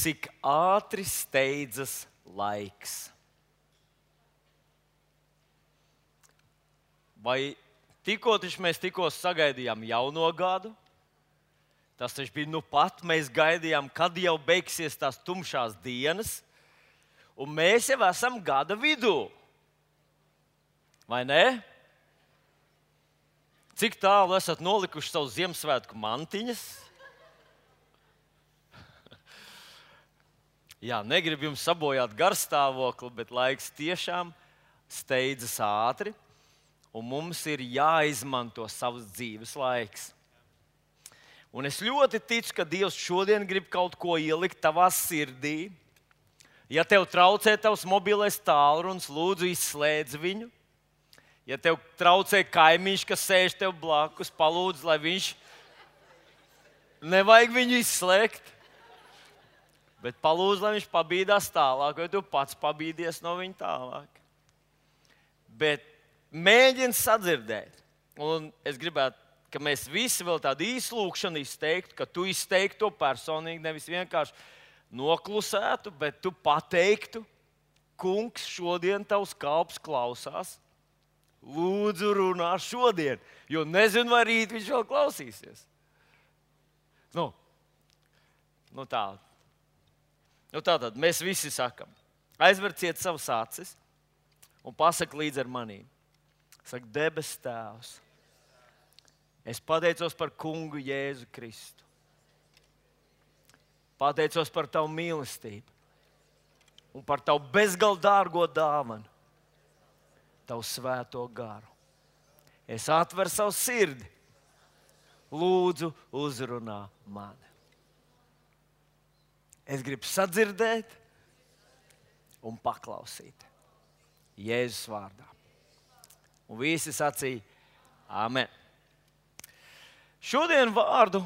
cik ātri steidzas laiks. Vai mēs tikko sagaidījām jauno gadu? Tas taču bija nu pat, mēs gaidījām, kad jau beigsies tās tumšās dienas, un mēs jau esam gada vidū. Vai ne? Cik tālu esat nolikuši savu Ziemassvētku mantiņas? Jā, negribu jums sabojāt garstāvokli, bet laiks tiešām steidzas ātri, un mums ir jāizmanto savs dzīves laiks. Un es ļoti ticu, ka Dievs šodien grib kaut ko ielikt tavā sirdī. Ja tev traucē tavs mobilais tālrunis, lūdzu izslēdz viņu. Ja tev traucē kaimiņš, kas sēž tev blakus, palūdz, lai viņš nevajag viņu izslēgt. Bet palūdz, lai viņš pabīdās tālāk, vai tu pats pabīdies no viņa tālāk. Bet mēģini sadzirdēt. Un es gribētu, ka mēs visi vēl tādu īsu lūkšanu izteiktu, ka tu izteiktu to personīgi, nevis vienkārši noklusētu, bet tu pateiktu, kungs, šodien tavs kalps klausās. Lūdzu, runā šodien, jo nezinu, vai rīt viņš vēl klausīsies. Nu tā. Tātad mēs visi sakam, aizverciet savas acis un pasaki līdz ar manīm. Saka, debes Tēvs, es pateicos par kungu Jēzu Kristu. Pateicos par tavu mīlestību un par tavu bezgalīgi dārgo dāvanu, tavu svēto garu. Es atveru savu sirdi, lūdzu, uzrunā mani. Es gribu sadzirdēt un paklausīt Jēzus vārdā. Un visi sacīja Āmen. Šodien vārdu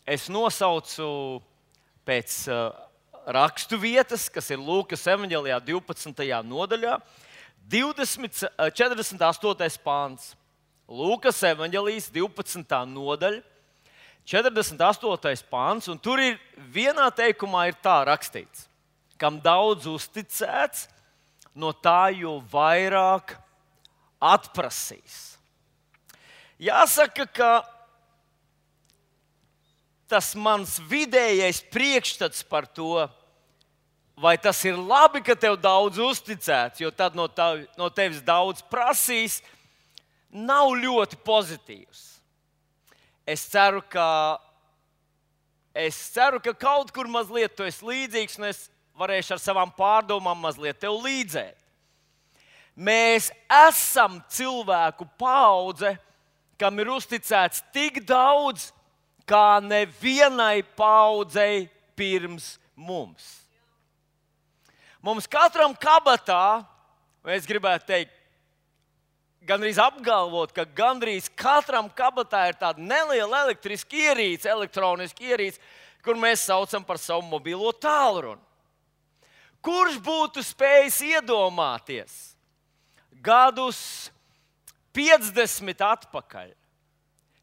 es nosaucu pēc rakstu vietas, kas ir Lūkas evaņģēlijā 12. nodaļā, 48. pāns. Lūkas evaņģēlijas 12. nodaļa, 48. pāns, un tur ir vienā teikumā ir tā rakstīts, kam daudz uzticēts, no tā jo vairāk atprasīs. Jāsaka, ka tas mans vidējais priekšstats par to, vai tas ir labi, ka tev daudz uzticēts, jo tad no tevis daudz prasīs, nav ļoti pozitīvs. Es ceru, ka kaut kur mazliet tu esi līdzīgs, un es varēšu ar savām pārdomām mazliet tev līdzēt. Mēs esam cilvēku paudze, kam ir uzticēts tik daudz, kā nevienai paudzei pirms mums. Mums katram kabatā, es gribētu teikt, gandrīz apgalvot, ka gandrīz katram kabatā ir tāda neliela elektroniska ierīce, kur mēs saucam par savu mobilo tālruni. Kurš būtu spējis iedomāties gadus 50 atpakaļ,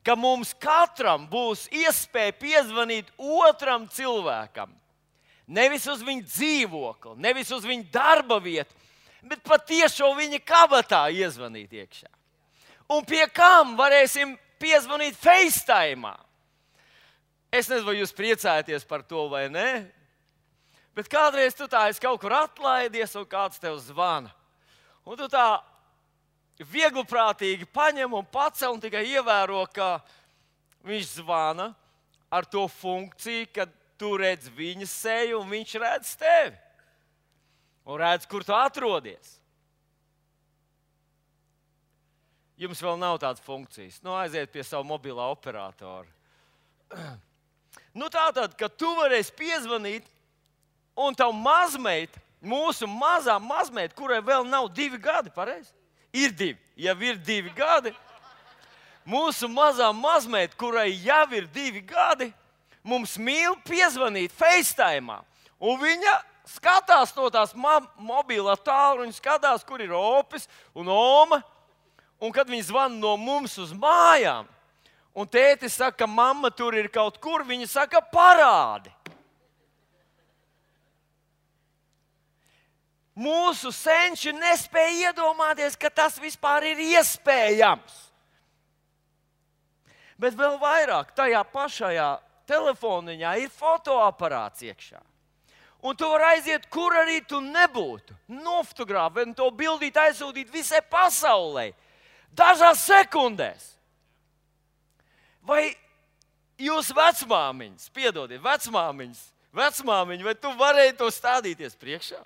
ka mums katram būs iespēja piezvanīt otram cilvēkam, nevis uz viņa dzīvokli, nevis uz viņa darba vietu, bet patiešo viņa kabatā iezvanīt iekšā. Un pie kam varēsim piezvanīt FaceTime? Es nezinu, vai jūs priecājaties par to vai nē, bet kādreiz tu tā esi kaut kur atlaidies un kāds tev zvana. Un tu tā viegliprātīgi paņem un pacel un tikai ievēro, ka viņš zvana ar to funkciju, ka tu redz viņa seju un viņš redz tevi. Un redz, kur tu atrodies. Jums vēl nav tādas funkcijas. Aiziet pie savu mobilā operatoru. Tātad, ka tu varēsi piezvanīt, un tavu mazmeita, mūsu mazā mazmeita, kurai vēl nav 2 gadi, pareizi? Ir 2. Jau ir 2 gadi. Mūsu mazā mazmeita, kurai jau ir 2 gadi, mums mīl piezvanīt FaceTime. Un viņa skatās no tās mobilā tālruņa, skatās, kur ir opis un oma. Un kad viņi zvana no mums uz mājām, un tētis saka, ka mamma tur ir kaut kur, viņa saka, parādi. Mūsu senči nespēja iedomāties, ka tas vispār ir iespējams. Bet vēl vairāk, tajā pašajā telefoniņā ir fotoaparāts iekšā. Un tu vari aiziet, kur arī tu nebūtu. Nofotografēt un to bildīt, aizsūtīt visai pasaulē. Dažās sekundēs. Vai jūs vecmāmiņas, piedodiet, vecmāmiņa, vai tu varēji to stādīties priekšā?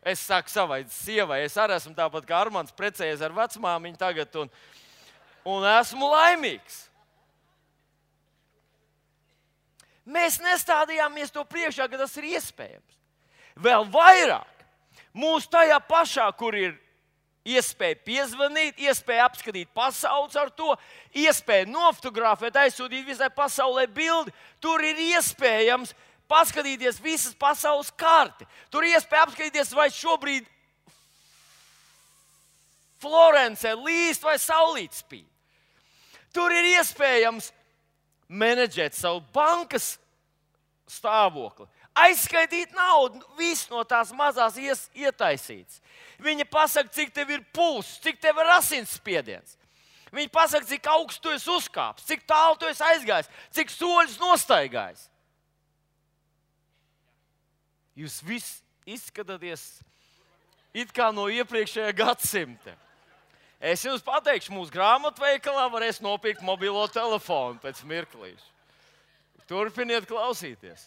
Es saku savai sievai, es arī esmu tāpat kā Armands, precējies ar vecmāmiņu tagad un esmu laimīgs. Mēs nestādījāmies to priekšā, ka tas ir iespējams. Vēl vairāk, mūs tajā pašā, kur ir iespēja piezvanīt, iespēja apskatīt pasaules ar to, iespēja nofotografēt, aizsūtīt visai pasaulē bildi, tur ir iespējams paskatīties visas pasaules karti. Tur ir iespēja apskatīties, vai šobrīd Florencē līst vai saulīt spīd. Tur ir iespējams menedžēt savu bankas stāvokli, aizskaitīt naudu, viss no tās mazās ietaisīts. Viņa pasaka, cik tev ir pulss, cik tev ir asinsspiediens. Viņa pasaka, cik augstu tu esi uzkāpis, cik tālu tu esi aizgājis, cik soļus nostaigājis. Jūs visi izskatāties it kā no iepriekšējā gadsimta. Es jums pateikšu, mūsu grāmatveikalā varēs nopirkt mobilo telefonu pēc mirklīša. Turpiniet klausīties.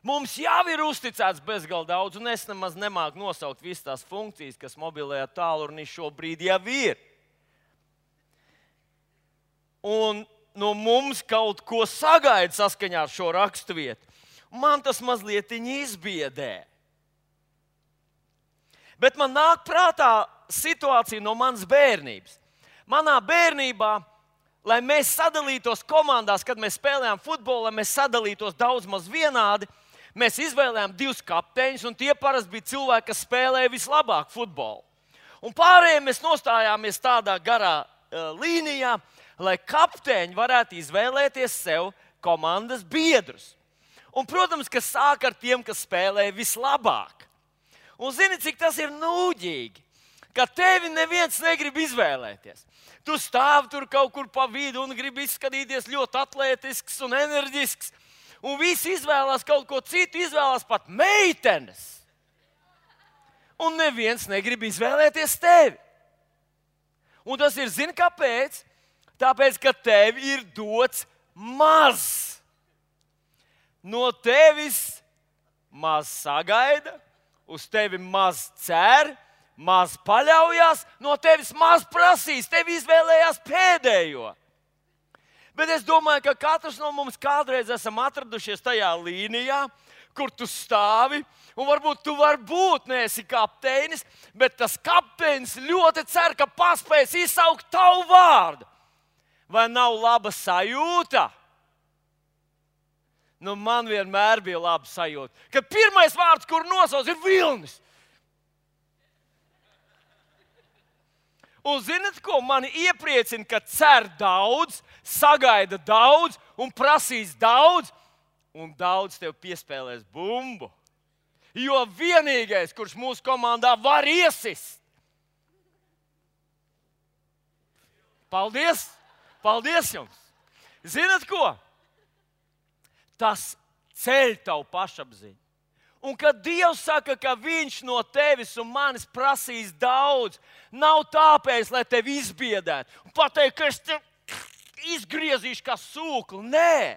Mums jau ir uzticēts bezgalīgi daudz, un es nemaz nemāku nosaukt visas tās funkcijas, kas mobilajā tālrunī šobrīd jau ir. Un no mums kaut ko sagaida saskaņā ar šo raksturvietu. Man tas mazliet izbiedē. Bet man nāk prātā situācija no manas bērnības. Manā bērnībā, lai mēs sadalītos komandās, kad mēs spēlējām futbolu, lai mēs sadalītos daudz maz vienādi, mēs izvēlējām 2 kapteiņus, un tie parasti bija cilvēki, kas spēlēja vislabāk futbolu. Un pārējie mēs nostājāmies tādā garā līnijā, lai kapteiņi varētu izvēlēties sev komandas biedrus. Un, protams, ka sāk ar tiem, kas spēlēja vislabāk. Un zini, cik tas ir nūģīgi, ka tevi neviens negrib izvēlēties. Tu stāvi tur kaut kur pa vidu un gribi izskatīties ļoti atletisks un enerģisks. Un visi izvēlās kaut ko citu, izvēlās pat meitenes. Un neviens negrib izvēlēties tevi. Un tas ir, zini, kāpēc? Tāpēc, ka tev ir dots maz. No tevis maz sagaida, uz tevi maz cer, maz paļaujas, no tevis maz prasīs, tevi izvēlējās pēdējo. Bet es domāju, ka katrs no mums kādreiz esam atradušies tajā līnijā, kur tu stāvi, un varbūt tu vari būt, neesi kapteinis, bet tas kapteinis ļoti cer, ka paspēs izsaukt tavu vārdu. Vai nav laba sajūta? Nu, man vienmēr bija laba sajūta, ka pirmais vārds, kur nosauc, ir Vilnis. Un zināt, ko mani iepriecina, ka cer daudz, sagaida daudz un prasīs daudz, un daudz tev piespēlēs bumbu. Jo vienīgais, kurš mūsu komandā var iesist. Paldies! Paldies jums! Zināt, ko? Tas ceļ tavu pašapziņu. Un kad Dievs saka, ka Viņš no tevis un manis prasīs daudz, nav tāpēc, lai tevi izbiedētu un pateikt, ka es tevi izgriezīšu kā sūkli. Nē,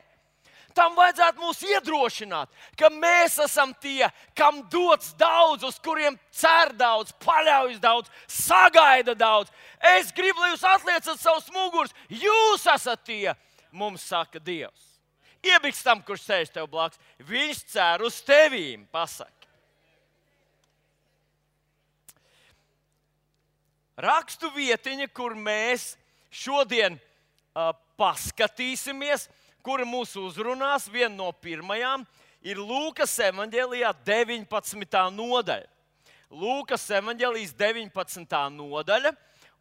tam vajadzētu mūs iedrošināt, ka mēs esam tie, kam dots daudz, uz kuriem cer daudz, paļaujas daudz, sagaida daudz. Es gribu, lai jūs atliecat savus mugurus. Jūs esat tie, mums saka Dievs. Iebiks tam, kurš sēž tev blakus. Viņš cer uz tevīm, pasaka. Rakstu vietiņa, kur mēs šodien paskatīsimies, kura mūs uzrunās, viena no pirmajām, ir Lūkas evaņģēlijā 19. nodaļa. Lūkas evaņģēlijas 19. nodaļa,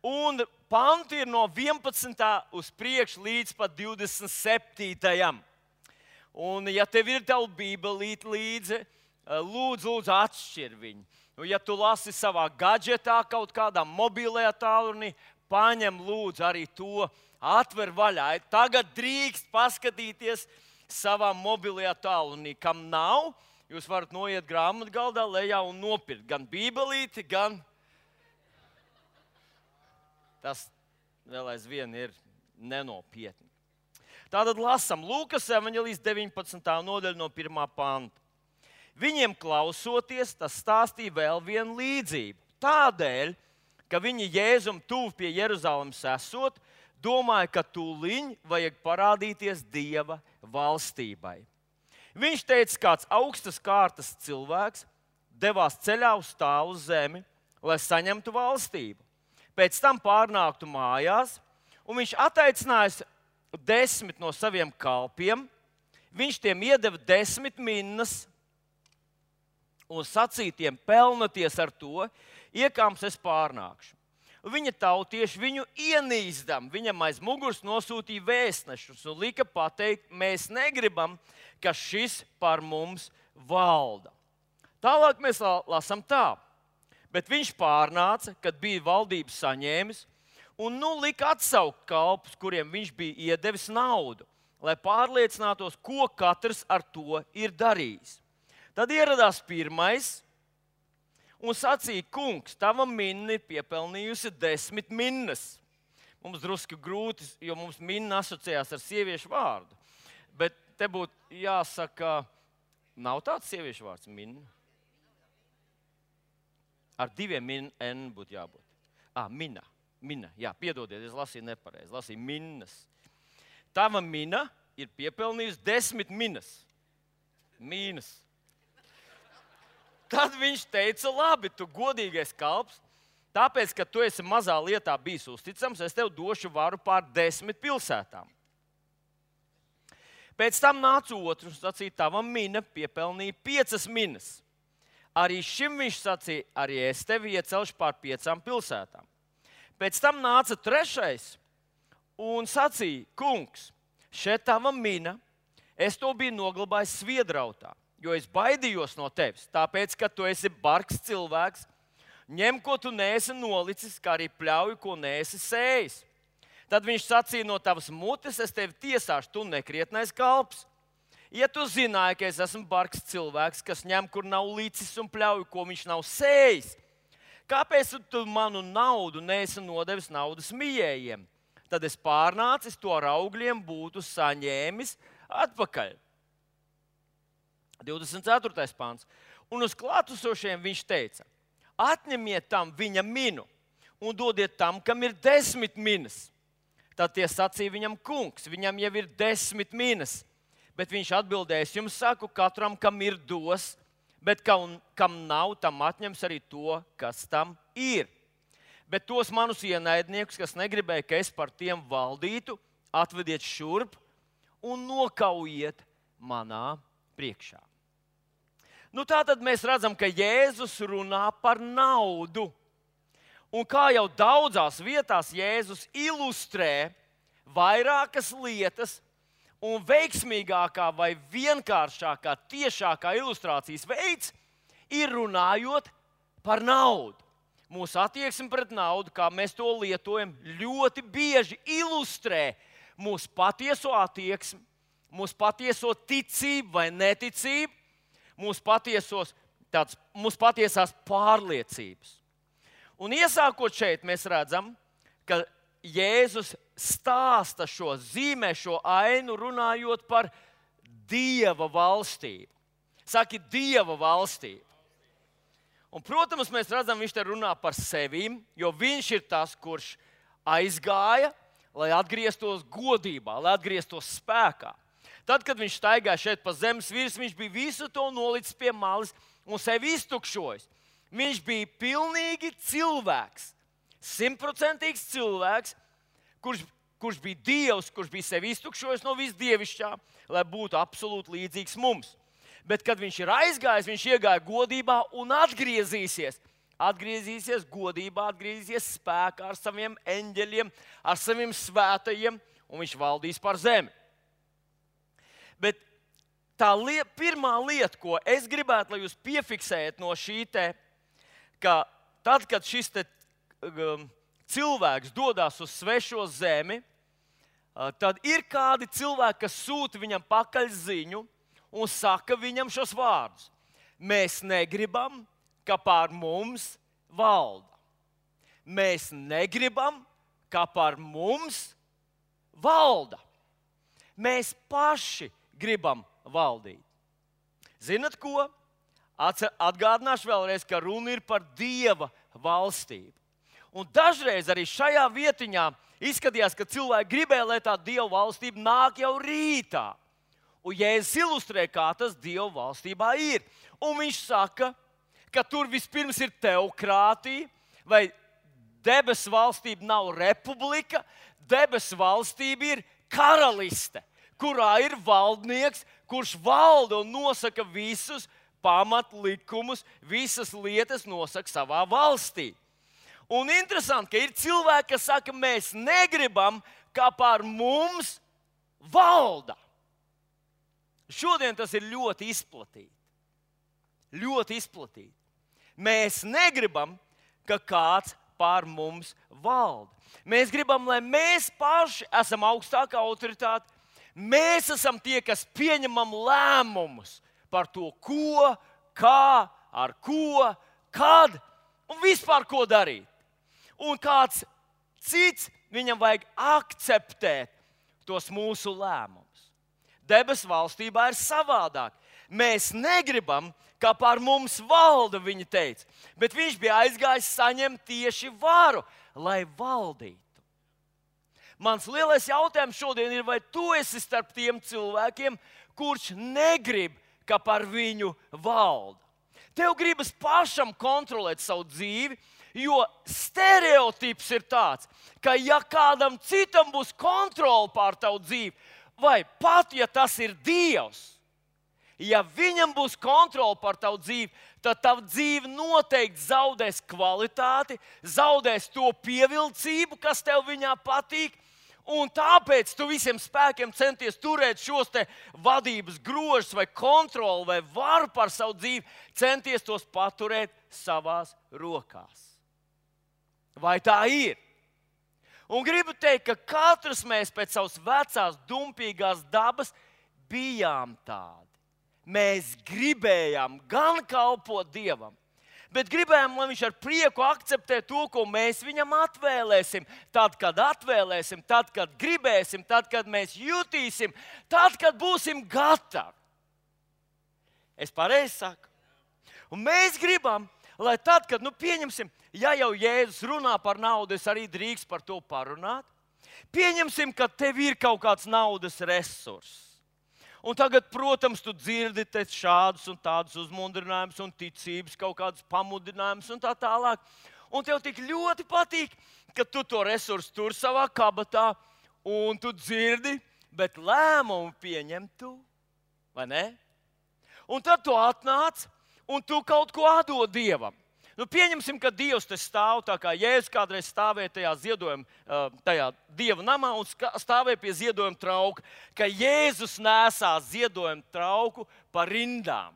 un panti ir no 11. uz priekšu līdz pat 27. Un, ja tev ir tava bībelīte līdzi, lūdzu atšķir viņu. Ja tu lasi savā gadžetā, kaut kādā mobilajā tālrunī, paņem lūdzu arī to, atver vaļā. Tagad drīkst paskatīties savā mobilajā tālrunī. Kam nav, jūs varat noiet grāmatgaldā lejā un nopirkt gan bībelīti, gan tas vēl aizvien ir nenopietni. Tātad lasam Lūkas evaņģēlijas 19. nodaļa no 1. panta. Viņiem klausoties, tas stāstīja vēl vienu līdzību. Tādēļ, ka viņi Jēzum tuvu pie Jeruzalemes esot, domāja, ka tūliņ vajag parādīties Dieva valstībai. Viņš teica, kāds augstas kārtas cilvēks devās ceļā uz tālu zemi, lai saņemtu valstību. Pēc tam pārnāktu mājās, un viņš attaicinājis 10 no saviem kalpiem. Viņš tiem iedeva 10 minnas un sacīja tiem: pelnoties ar to, iekāms es pārnākšu. Viņa tautieši viņu ienīstam, viņam aiz muguras nosūtīja vēstnešus un lika pateikt: mēs negribam, ka šis par mums valda. Tālāk mēs lasām tā. Bet viņš pārnāca, kad bija valdību saņēmis, un lika atsaukt kalpus, kuriem viņš bija iedevis naudu, lai pārliecinātos, ko katrs ar to ir darījis. Tad ieradās pirmais un sacīja: kungs, tava minna ir piepelnījusi 10 minnas. Mums drusku grūti, jo mums minna asociējās ar sieviešu vārdu. Bet te būtu jāsaka, nav tāds sieviešu vārds minna. Ar 2 N būtu jābūt. Mina. Jā, piedodiet, es lasīju nepareizi. Lasīju minnas. Tava mina ir piepelnījusi 10 minnas. Mīnas. Tad viņš teica: labi, tu godīgais kalps, tāpēc, ka tu esi mazā lietā bijis uzticams, es tev došu varu pār 10 pilsētām. Pēc tam nāca otrs un sacīja: tava mina piepelnīja 5 minnas. Arī šim viņš sacīja: arī es tevi iecelšu pār 5 pilsētām. Pēc tam nāca trešais un sacīja: kungs, šeit tava mina, es to biju noglabājis sviedrautā, jo es baidījos no tevis, tāpēc, ka tu esi bargs cilvēks, ņem, ko tu neesi nolicis, kā arī pļauju, ko neesi sējis. Tad viņš sacīja: no tavas mutes es tevi tiesāšu, tu nekrietnais kalps. Ja tu zināji, ka es esmu bargs cilvēks, kas ņem, kur nav licis, un pļauju, ko viņš nav sējis, kāpēc tu manu naudu neesi nodevis naudas mijējiem? Tad es pārnācis to ar augļiem būtu saņēmis atpakaļ. 24. pāns. Un uz klātesošiem viņš teica: atņemiet tam viņa minu un dodiet tam, kam ir 10 minas. Tad tie sacīja viņam: kungs, viņam jau ir 10 minas. Bet viņš atbildēja: es jums saku, katram, kam ir, dos, bet kam nav, tam atņems arī to, kas tam ir. Bet tos manus ienaidniekus, kas negribēja, ka es par tiem valdītu, atvediet šurp un nokaujiet manā priekšā. Tātad mēs redzam, ka Jēzus runā par naudu. Un kā jau daudzās vietās Jēzus ilustrē vairākas lietas, un veiksmīgākā vai vienkāršākā, tiešākā ilustrācijas veids ir runājot par naudu. Mūsu attieksme pret naudu, kā mēs to lietojam, ļoti bieži ilustrē mūsu patieso attieksmi, mūsu patieso ticību vai neticību, mūsu patiesās pārliecības. Un iesākot šeit, mēs redzam, ka Jēzus stāsta šo zīmē, šo ainu, runājot par Dieva valstību. Saki, Dieva valstību. Un, protams, mēs redzam, viņš te runā par sevīm, jo viņš ir tas, kurš aizgāja, lai atgrieztos godībā, lai atgrieztos spēkā. Tad, kad viņš staigāja šeit pa zemes virsmu, viņš bija visu to nolicis pie malas un sevi iztukšojis. Viņš bija pilnīgi cilvēks. 100% cilvēks, kurš bija Dievs, kurš bija sevi iztukšojis no visdievišķā, lai būtu absolūti līdzīgs mums. Bet, kad viņš ir aizgājis, viņš iegāja godībā un atgriezīsies. Atgriezīsies godībā, atgriezīsies spēkā ar saviem eņģeļiem, ar saviem svētajiem, un viņš valdīs par zemi. Bet pirmā lieta, ko es gribētu, lai jūs piefiksējat no šī te, ka tad, kad šis te, cilvēks dodas uz svešo zemi, tad ir kādi cilvēki, kas sūta viņam pakaļ ziņu un saka viņam šos vārdus. Mēs negribam, ka pār mums valda. Mēs negribam, ka pār mums valda. Mēs paši gribam valdīt. Zinat ko? Atgādināšu vēlreiz, ka runa ir par Dieva valstību. Un dažreiz arī šajā vietiņā izskatījās, ka cilvēki gribēja, lai tā Dieva valstība nāk jau rītā. Un Jēzus ilustrē, kā tas Dieva valstībā ir. Un viņš saka, ka tur vispirms ir teokrātija, vai debesu valstība nav republika, debesu valstība ir karaliste, kurā ir valdnieks, kurš valda un nosaka visus pamatlikumus, visas lietas nosaka savā valstī. Un interesanti, ka ir cilvēki, kas saka, mēs negribam, kā pār mums valda. Šodien tas ir ļoti izplatīti. Ļoti izplatīti. Mēs negribam, ka kāds pār mums valda. Mēs gribam, lai mēs paši esam augstākā autoritāte. Mēs esam tie, kas pieņemam lēmumus par to, ko, kā, ar ko, kad un vispār ko darīt. Un kāds cits, viņam vajag akceptēt tos mūsu lēmumus. Debesu valstībā ir savādāk. Mēs negribam, kā pār mums valda, viņa teica, bet viņš bija aizgājis saņemt tieši varu, lai valdītu. Mans lielais jautājums šodien ir, vai tu esi starp tiem cilvēkiem, kurš negrib, ka par viņu valda. Tev gribas pašam kontrolēt savu dzīvi, jo stereotips ir tāds, ka ja kādam citam būs kontrole pār tavu dzīvi, vai pat ja tas ir Dievs, ja viņam būs kontrole pār tavu dzīvi, tad tava dzīve noteikti zaudēs kvalitāti, zaudēs to pievilcību, kas tev viņā patīk. Un tāpēc tu visiem spēkiem centies turēt šos te vadības grožus vai kontroli vai varu par savu dzīvi, centies tos paturēt savās rokās. Vai tā ir? Un gribu teikt, ka katrs mēs pēc savas vecās, dumpīgās dabas bijām tādi. Mēs gribējām gan kalpot Dievam, bet gribējām, lai viņš ar prieku akceptē to, ko mēs viņam atvēlēsim. Tad, kad atvēlēsim, tad, kad gribēsim, tad, kad mēs jutīsim, tad, kad būsim gatavi. Es pareizi saku. Un mēs gribam, lai tad, kad, pieņemsim, ja jau Jēzus runā par naudu, es arī drīkst par to parunāt. Pieņemsim, ka tev ir kaut kāds naudas resurss. Un tagad, protams, tu dzirdi šādus un tādus uzmundrinājumus un ticības, kaut kādus pamudinājumus un tā tālāk. Un tev tik ļoti patīk, ka tu to resursu tur savā kabatā un tu dzirdi, bet lēmumu pieņem tu, vai ne? Un tad tu atnāc un tu kaut ko atdod Dievam. Pieņemsim, ka Dievs te stāv tā kā Jēzus kādreiz stāvēja tajā ziedojuma, tajā Dieva namā un stāvēja pie ziedojuma trauka, ka Jēzus nesās ziedojuma trauku pa rindām.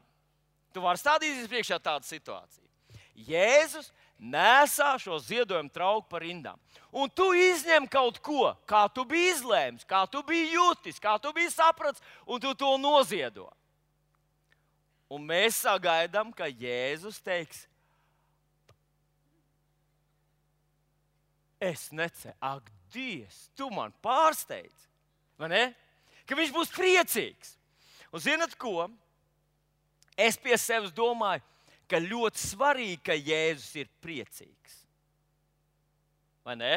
Tu vari stādīties priekšā tādu situāciju. Jēzus nesā šo ziedojuma trauku pa rindām. Un tu izņem kaut ko, kā tu biji izlēmis, kā tu biji jutis, kā tu biji sapratis, un tu to noziedo. Un mēs sagaidām, ka Jēzus teiks, es neceru, ak, Dievs, tu man pārsteidz, vai ne? Ka viņš būs priecīgs. Un zinat ko? Es pie sevis domāju, ka ļoti svarīgi, ka Jēzus ir priecīgs. Vai ne?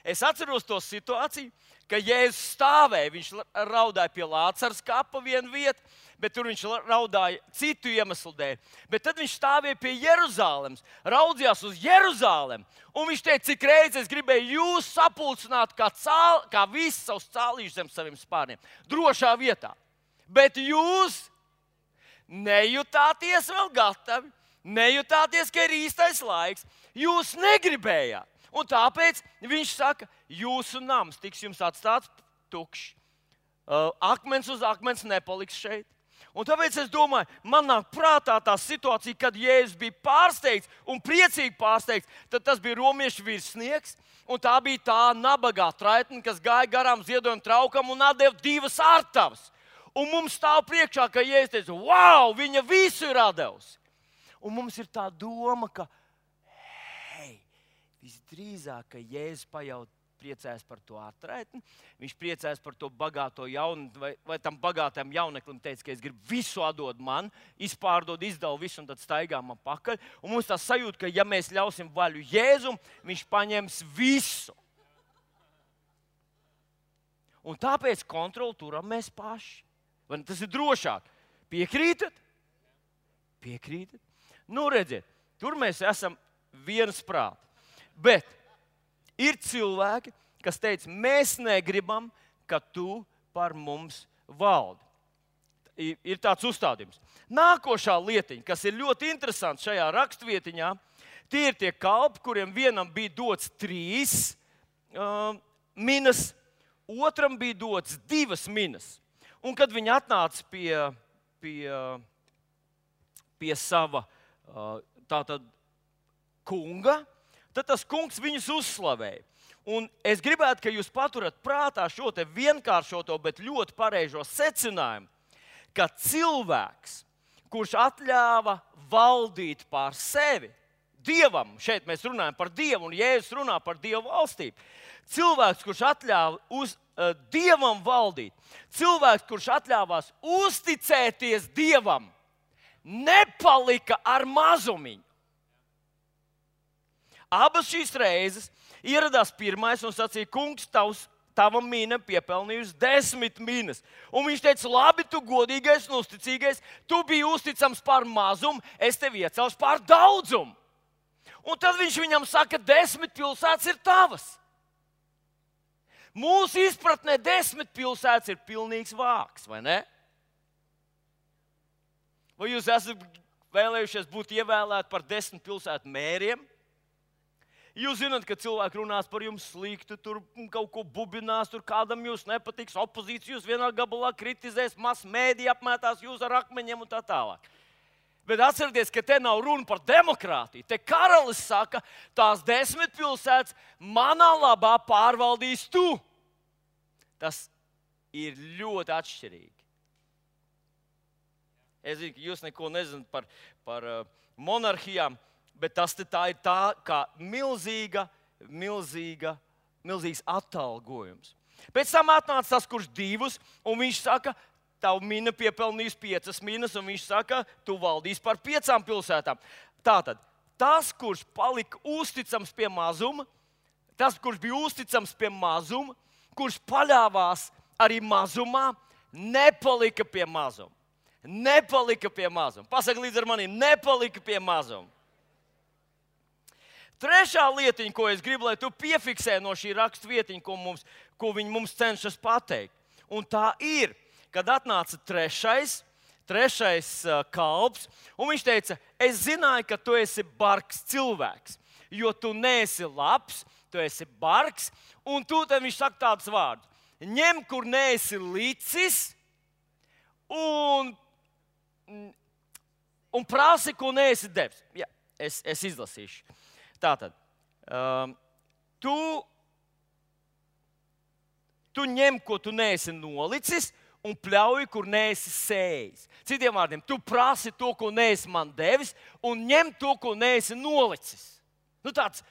Es atceros to situāciju, ka Jēzus stāvēja, viņš raudāja pie Lācaras kapa vienu vietu, bet tur viņš raudāja citu iemeslu dēļ. Bet tad viņš stāvēja pie Jeruzalemes, raudzījās uz Jeruzalemi, un viņš teica, cik reizes es gribēju jūs sapulcināt kā visus savus cālīšus zem saviem spārniem, drošā vietā. Bet jūs nejutāties vēl gatavi, nejutāties, ka ir īstais laiks, jūs negribējāt. Un tāpēc viņš saka, jūsu nams tiks jums atstāts tukšs. Akmens uz akmens nepaliks šeit. Un tāpēc es domāju, man nāk prātā tā situācija, kad Jēzus bija pārsteigts un priecīgi pārsteigts, tad tas bija romiešu virsnieks, un tā bija tā nabagā traitne, kas gāja garām ziedojuma traukam un atdeva 2 ārtavas. Un mums stāv priekšā, ka Jēzus teica, wow, viņa visu ir atdevusi. Un mums ir tā doma, ka, hei, visdrīzāk, ka Jēzus priecājas par to ārtraitni, viņš priecājas par to bagāto jaunu, vai tam bagātam jauneklim teica, ka es gribu visu atdot man, izpārdod, izdalu visu un tad staigā man pakaļ. Un mums tā sajūta, ka ja mēs ļausim vaļu Jēzum, viņš paņems visu. Un tāpēc kontroli turam mēs paši. Vai tas ir drošāk? Piekrītat? Piekrītat? Nu, redziet, tur mēs esam viens prāt. Bet ir cilvēki, kas teica, mēs negribam, ka tu par mums valdi. Ir tāds uzstādījums. Nākošā lietiņa, kas ir ļoti interesants šajā rakstvietiņā, tie ir tie kalpi, kuriem vienam bija dots 3 minas, otram bija dots 2 minas. Un kad viņi atnāca pie sava tātad kunga, tad tas kungs viņus uzslavēja. Un es gribētu, ka jūs paturat prātā šo te vienkāršoto, bet ļoti pareizo secinājumu, ka cilvēks, kurš atļāva valdīt pār sevi, Dievam, šeit mēs runājam par Dievu, un Jēzus runā par Dievu valstību. Cilvēks, kurš atļāva Dievam valdīt, cilvēks, kurš atļāvās uzticēties Dievam, nepalika ar mazumiņu. Abas šīs reizes ieradās pirmais un sacīja, kungs, tava mina piepelnījusi 10 minas. Un viņš teica, labi, tu godīgais un uzticīgais, tu biji uzticams par mazumu, es tevi iecelšu par daudzumu. Un tad viņš viņam saka, 10 pilsētas ir tavas. Mūsu izpratnē 10 pilsētas ir pilnīgs vāks, vai ne? Vai jūs esat vēlējušies būt ievēlēti par 10 pilsētu mēriem? Jūs zināt, ka cilvēki runās par jums slikti, tur kaut ko bubinās, tur kādam jūs nepatiks, opozīcija jūs vienā gabalā kritizēs, masmēdija apmētās jūs ar akmeņiem un tā tālāk. Bet atcerieties, ka te nav runa par demokrātiju. Te karalis saka, tās 10 pilsētas manā labā pārvaldīs tu. Tas ir ļoti atšķirīgi. Es zinu, ka jūs neko nezināt par monarhijām, bet tā ir tā kā milzīgs atalgojums. Pēc tam atnāca tas, kurš 2, un viņš saka, tavu mina piepelnījis 5 minas, un viņš saka, tu valdīsi par 5 pilsētām. Tātad, tas, kurš palika uzticams pie mazuma, tas, kurš bija uzticams pie mazuma, kurš paļāvās arī mazumā, nepalika pie mazuma. Nepalika pie mazuma. Pasaka līdz ar maniem, nepalika pie mazuma. Trešā lietiņa, ko es gribu, lai tu piefiksē no šī rakstvietiņa, ko viņi mums cenšas pateikt. Un tā ir, kad atnāca trešais kalps, un viņš teica, es zināju, ka tu esi bargs cilvēks, jo tu neesi labs, tu esi bargs, un tūlīt viņš saka tādus vārdus. Ņem, kur neesi licis, un prasi, ko neesi devis. Jā, es izlasīšu. Tātad, tu ņem, ko tu neesi nolicis, un pļauj, kur neesi sējis. Citiem vārdiem, tu prasi to, ko neesi man devis, un ņem to, ko neesi nolicis. Nu, tāds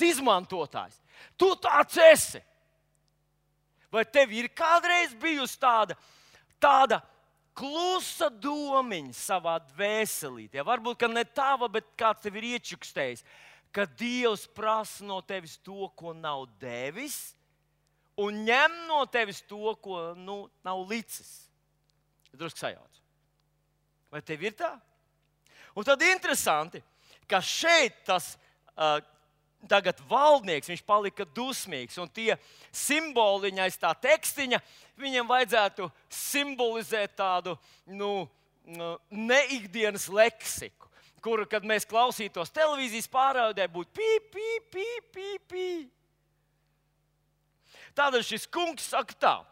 izmantotājs. Tu tāds esi. Vai tev ir kādreiz bijusi tāda klusa domiņa savā dvēselītē? Varbūt, ka ne tava, bet kāds tev ir iečukstējis, ka Dievs prasa no tevis to, ko nav devis, un ņem no tevis to, ko nav licis. Drusku sajauc. Vai tev ir tā? Un tad interesanti, ka šeit tas tagad valdnieks, viņš palika dusmīgs, un tie simboliņi aiz tā tekstiņa, viņiem vajadzētu simbolizēt tādu neikdienas leksiku, kuru, kad mēs klausītos televīzijas pārraidē, būtu pīp, pīp, pīp, pīp, pīp. Tādēļ šis kungs saka tā,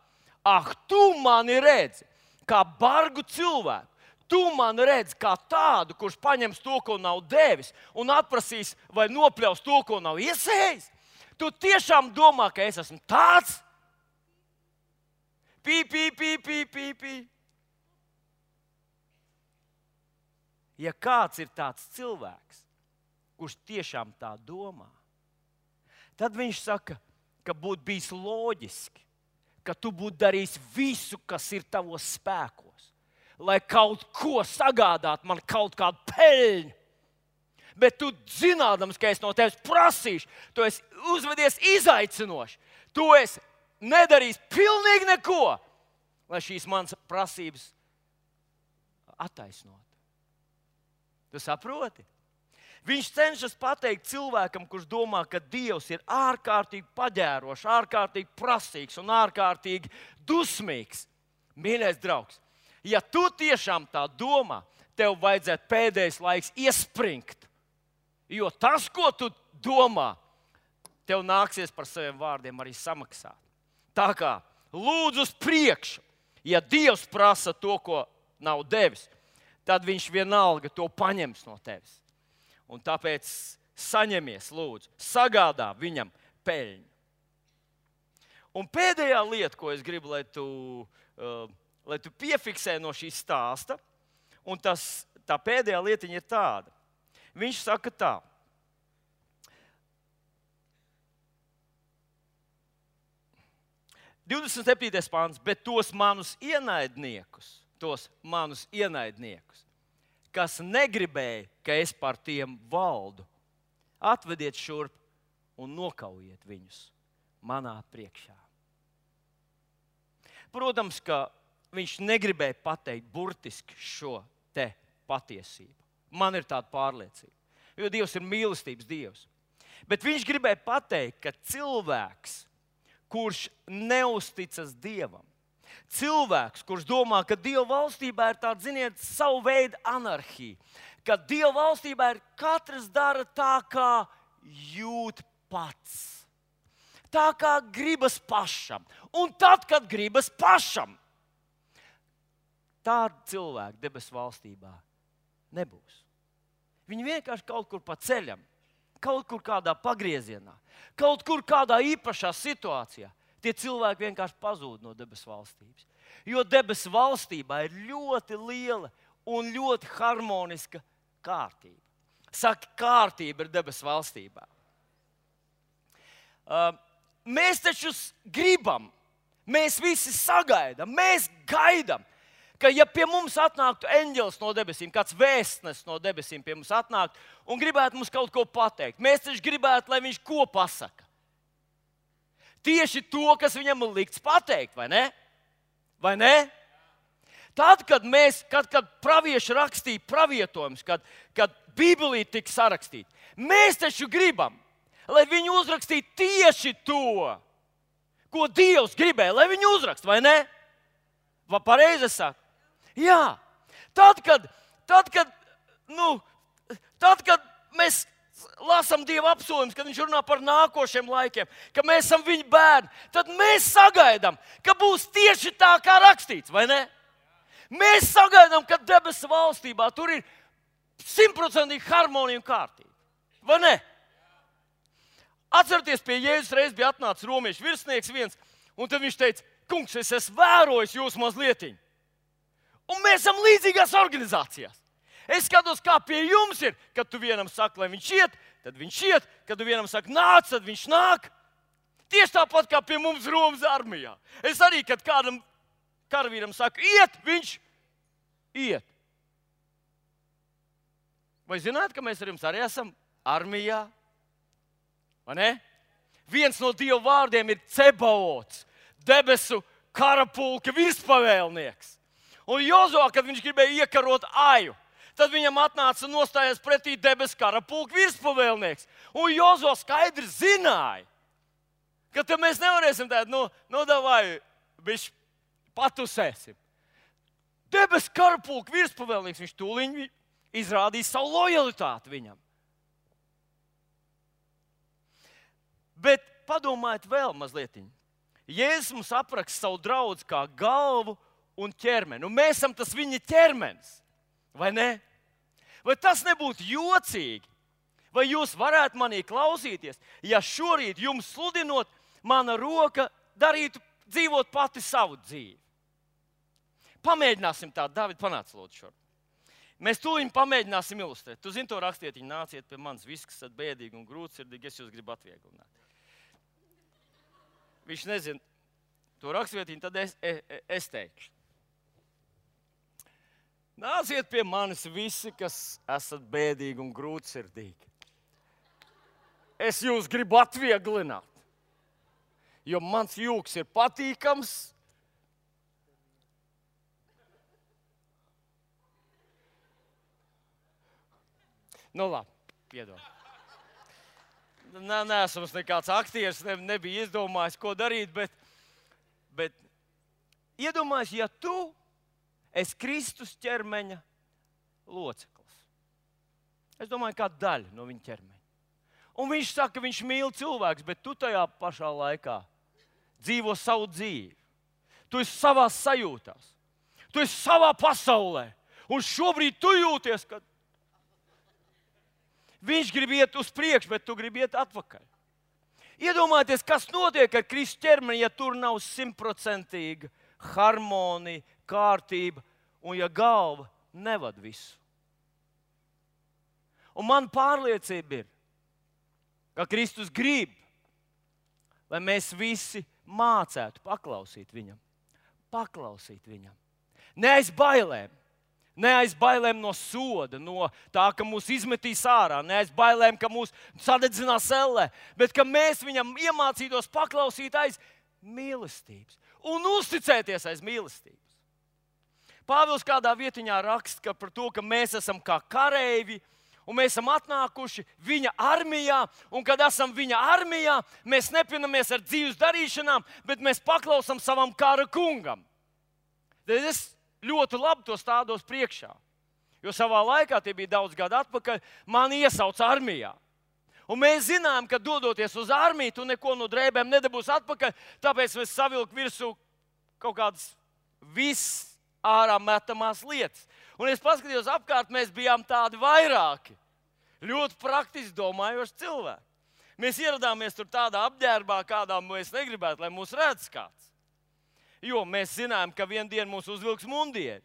Ak, tu mani redzi kā bargu cilvēku. Tu mani redzi kā tādu, kurš paņems to, ko nav devis, un atprasīs vai nopļaus to, ko nav iesējis. Tu tiešām domā, ka es esmu tāds? Pī. Ja kāds ir tāds cilvēks, kurš tiešām tā domā, tad viņš saka, ka būtu bijis loģiski, ka tu būtu darījis visu, kas ir tavos spēkos, lai kaut ko sagādātu man kaut kādu peļņu. Bet tu zinādams, ka es no tevis prasīšu, tu esi uzvedies izaicinoši, tu esi nedarījis pilnīgi neko, lai šīs manas prasības attaisnotu. Tu saproti? Viņš cenšas pateikt cilvēkam, kurš domā, ka Dievs ir ārkārtīgi paģērošs, ārkārtīgi prasīgs un ārkārtīgi dusmīgs. Mīļais draugs, ja tu tiešām tā domā, tev vajadzētu pēdējais laiks iespringt. Jo tas, ko tu domā, tev nāksies par saviem vārdiem arī samaksāt. Tā kā lūdzu uz priekšu, ja Dievs prasa to, ko nav devis, tad viņš vienalga to paņems no tevis. Un tāpēc saņemies, lūdzu, sagādā viņam peļņu. Un pēdējā lieta, ko es gribu, lai tu piefiksē no šī stāsta, un tā pēdējā lietiņa ir tāda. Viņš saka tā. – 27. pāns, bet tos manus ienaidniekus, kas negribēja, ka es par tiem valdu, atvediet šurp un nokaujiet viņus manā priekšā. Protams, ka viņš negribēja pateikt burtiski šo te patiesību. Man ir tāda pārliecība, jo Dievs ir mīlestības Dievs. Bet viņš gribēja pateikt, ka cilvēks, kurš neusticas Dievam, cilvēks, kurš domā, ka Dieva valstībā ir tāda, ziniet, savu veidu anarhija, ka Dieva valstībā ir katrs dara tā, kā jūt pats. Tā kā gribas pašam. Un tad, kad gribas pašam, tāda cilvēka debesu valstībā nebūs. Viņi vienkārši kaut kur pa ceļam, kaut kur kādā pagriezienā, kaut kur kādā īpašā situācijā. Tie cilvēki vienkārši pazūd no debesu valstības. Jo debesu valstībā ir ļoti liela un ļoti harmoniska kārtība. Saka, kārtība ir debesu valstībā. Mēs taču gribam, mēs visi sagaidām, mēs gaidām, ka ja pie mums atnāktu eņģelis no debesīm, kāds vēstnesis no debesīm pie mums atnāktu un gribētu mums kaut ko pateikt, mēs taču gribētu, lai viņš ko pasaka. Tieši to, kas viņam ir likts pateikt, vai ne? Vai ne? Tad, kad pravieši rakstīja pravietojumus, kad Bībelī tika sarakstīta, mēs taču gribam, lai viņi uzrakstītu tieši to, ko Dievs gribēja, lai viņi uzrakst, vai ne? Vai pareizi es saku? Jā. Tad, kad mēs lasām Dieva apsolījumus, kad viņš runā par nākošiem laikiem, ka mēs esam viņa bērni, tad mēs sagaidām, ka būs tieši tā, kā rakstīts, vai ne? Mēs sagaidām, ka debesu valstībā tur ir 100% harmonija un kārtība, vai ne? Atcerieties, pie Jēzus reiz bija atnācis romiešu virsnieks viens, un tad viņš teica, kungs, es esmu vērojis jūs mazlietiņu. Un mēs esam līdzīgās organizācijās. Es skatos, kā pie jums ir, kad tu vienam saki, lai viņš iet, tad viņš iet, kad tu vienam saki, nāc, tad viņš nāk. Tieši tāpat kā pie mums Romas armijā. Es arī, kad kādam karavīram saku, iet, viņš iet. Vai zināt, ka mēs ar jums arī esam armijā? Vai ne? Viens no Dieva vārdiem ir Cebaots, debesu karapulka virspavēlnieks. Un Jozuā, kad viņš gribēja iekarot Aju, tad viņam atnāca un nostājās pretī debesu karapulka virspavēlnieks. Un Jozuā skaidri zināja, ka te mēs nevarēsim tādu, davai, bišķi patusēsim. Debesu karapulka virspavēlnieks, viņš tūliņ izrādīja savu lojalitāti viņam. Bet padomājiet vēl mazlietiņ. Jēzus mums apraksta savu draudzi kā galvu un ķermeni. Un mēs esam tas viņa ķermenis, vai ne? Vai tas nebūtu jocīgi? Vai jūs varētu manī klausīties, ja šorīt jums sludinot, mana roka darītu dzīvot pati savu dzīvi? Pamēģināsim tā, Dāvid, panāc lūdzu šur. Mēs tūlīt pamēģināsim ilustrēt. Tu zini to rakstietiņu, nāciet pie manis, viss, kas esat bēdīgi un grūtsirdīgi, es jūs gribu atvieglināt. Viņš nezina to rakstietiņu, tad es teikšu. Nāciet pie manis visi, kas esat bēdīgi un grūtsirdīgi. Es jūs gribu atvieglināt, jo mans jūks ir patīkams. Nu labi, piedod. Neesmu nekāds aktieris, nebija izdomājis, ko darīt, bet iedomājies, ja tu esi Kristus ķermeņa loceklis. Es domāju, kā daļa no viņa ķermeņa. Un viņš saka, ka viņš mīl cilvēkus, bet tu tajā pašā laikā dzīvo savu dzīvi. Tu esi savās sajūtās. Tu esi savā pasaulē. Un šobrīd tu jūties, ka viņš grib iet uz priekšu, bet tu gribi iet atpakaļ. Iedomājieties, kas notiek ar Kristus ķermeni, ja tur nav 100% harmonija, kārtība un ja galva nevad visu. Un man pārliecība ir, ka Kristus grib, lai mēs visi mācētu paklausīt viņam. Paklausīt viņam. Ne aiz bailēm no soda, no tā, ka mūs izmetīs ārā, ne aiz bailēm, ka mūs sadedzinās ellē, bet ka mēs viņam iemācītos paklausīt aiz mīlestības un uzticēties aiz mīlestības. Pāvils kādā vietiņā raksta par to, ka mēs esam kā kareivji, un mēs esam atnākuši viņa armijā, un kad esam viņa armijā, mēs nepinamies ar dzīves darīšanām, bet mēs paklausām savam kara kungam. Tad es ļoti labi to stādos priekšā, jo savā laikā, tie bija daudz gadu atpakaļ, mani iesauca armijā. Un mēs zinām, ka dodoties uz armiju, tu neko no drēbēm nedabūsi atpakaļ, tāpēc mēs savilku virsū kaut kādas viss ārā metamās lietas. Un es paskatījos apkārt, mēs bijām tādi vairāki, ļoti praktiski domājoši cilvēki. Mēs ieradāmies tur tādā apģērbā, kādā mēs negribētu, lai mūs redz kāds. Jo mēs zinājām, ka vienu dienu mums uzvilks mundieri.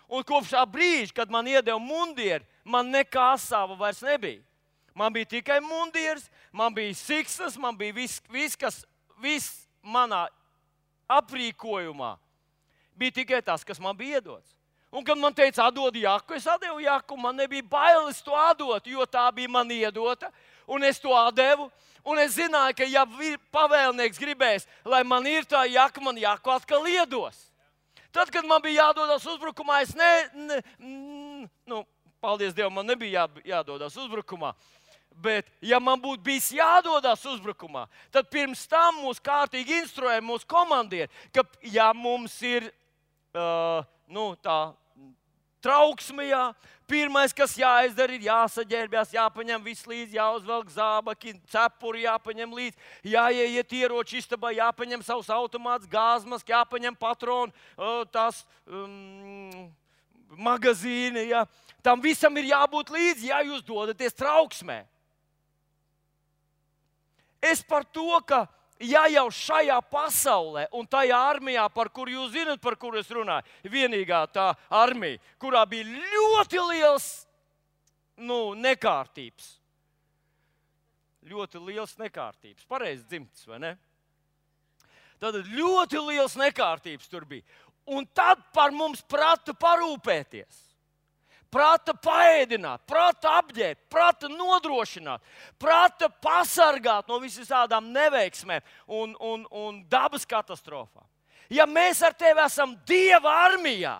Un kopš tā brīža, kad man iedeva mundieri, man nekā asāva vairs nebija. Man bija tikai mundieris, man bija siksnas, man bija viss manā aprīkojumā. Bija tikai tas, kas man bija iedots. Un kad man teica, atdod jaku, es atdevu jaku, man nebija bailes to atdot, jo tā bija man iedota, un es to atdevu. Un es zināju, ka ja pavēlnieks gribēs, lai man ir tā jaka, man jaku atkal iedos. Tad, kad man bija jādodas uzbrukumā, es paldies Dievam, man nebija jādodas uzbrukumā. Bet, ja man būtu bijis jādodas uzbrukumā, tad pirms tam mūs kārtīgi instruēja mūsu komandieri, ka, ja mums ir tā trauksme, pirmais, kas jāizdara, ir jāsaģērbjas, jāpaņem viss līdzi, jāuzvelk zābaki, cepuri jāpaņem līdzi, jāiet ieroču istabā, jāpaņem savus automātus, gāzmas, jāpaņem patronu, magazīni. Jā. Tam visam ir jābūt līdzi, ja jūs dodaties trauksmē. Es par to, ka ja jau šajā pasaulē un tajā armijā, par kuru jūs zinat, par kuru es runāju, vienīgā tā armija, kurā bija ļoti liels nekārtības. Ļoti liels nekārtības. Pareizi dzimtas, vai ne? Tad ļoti liels nekārtības tur bija. Un tad par mums prata parūpēties. Prata paēdināt, prata apģērbt, prata nodrošināt, prata pasargāt no visām neveiksmēm un dabas katastrofām. Ja mēs ar tevi esam Dieva armijā,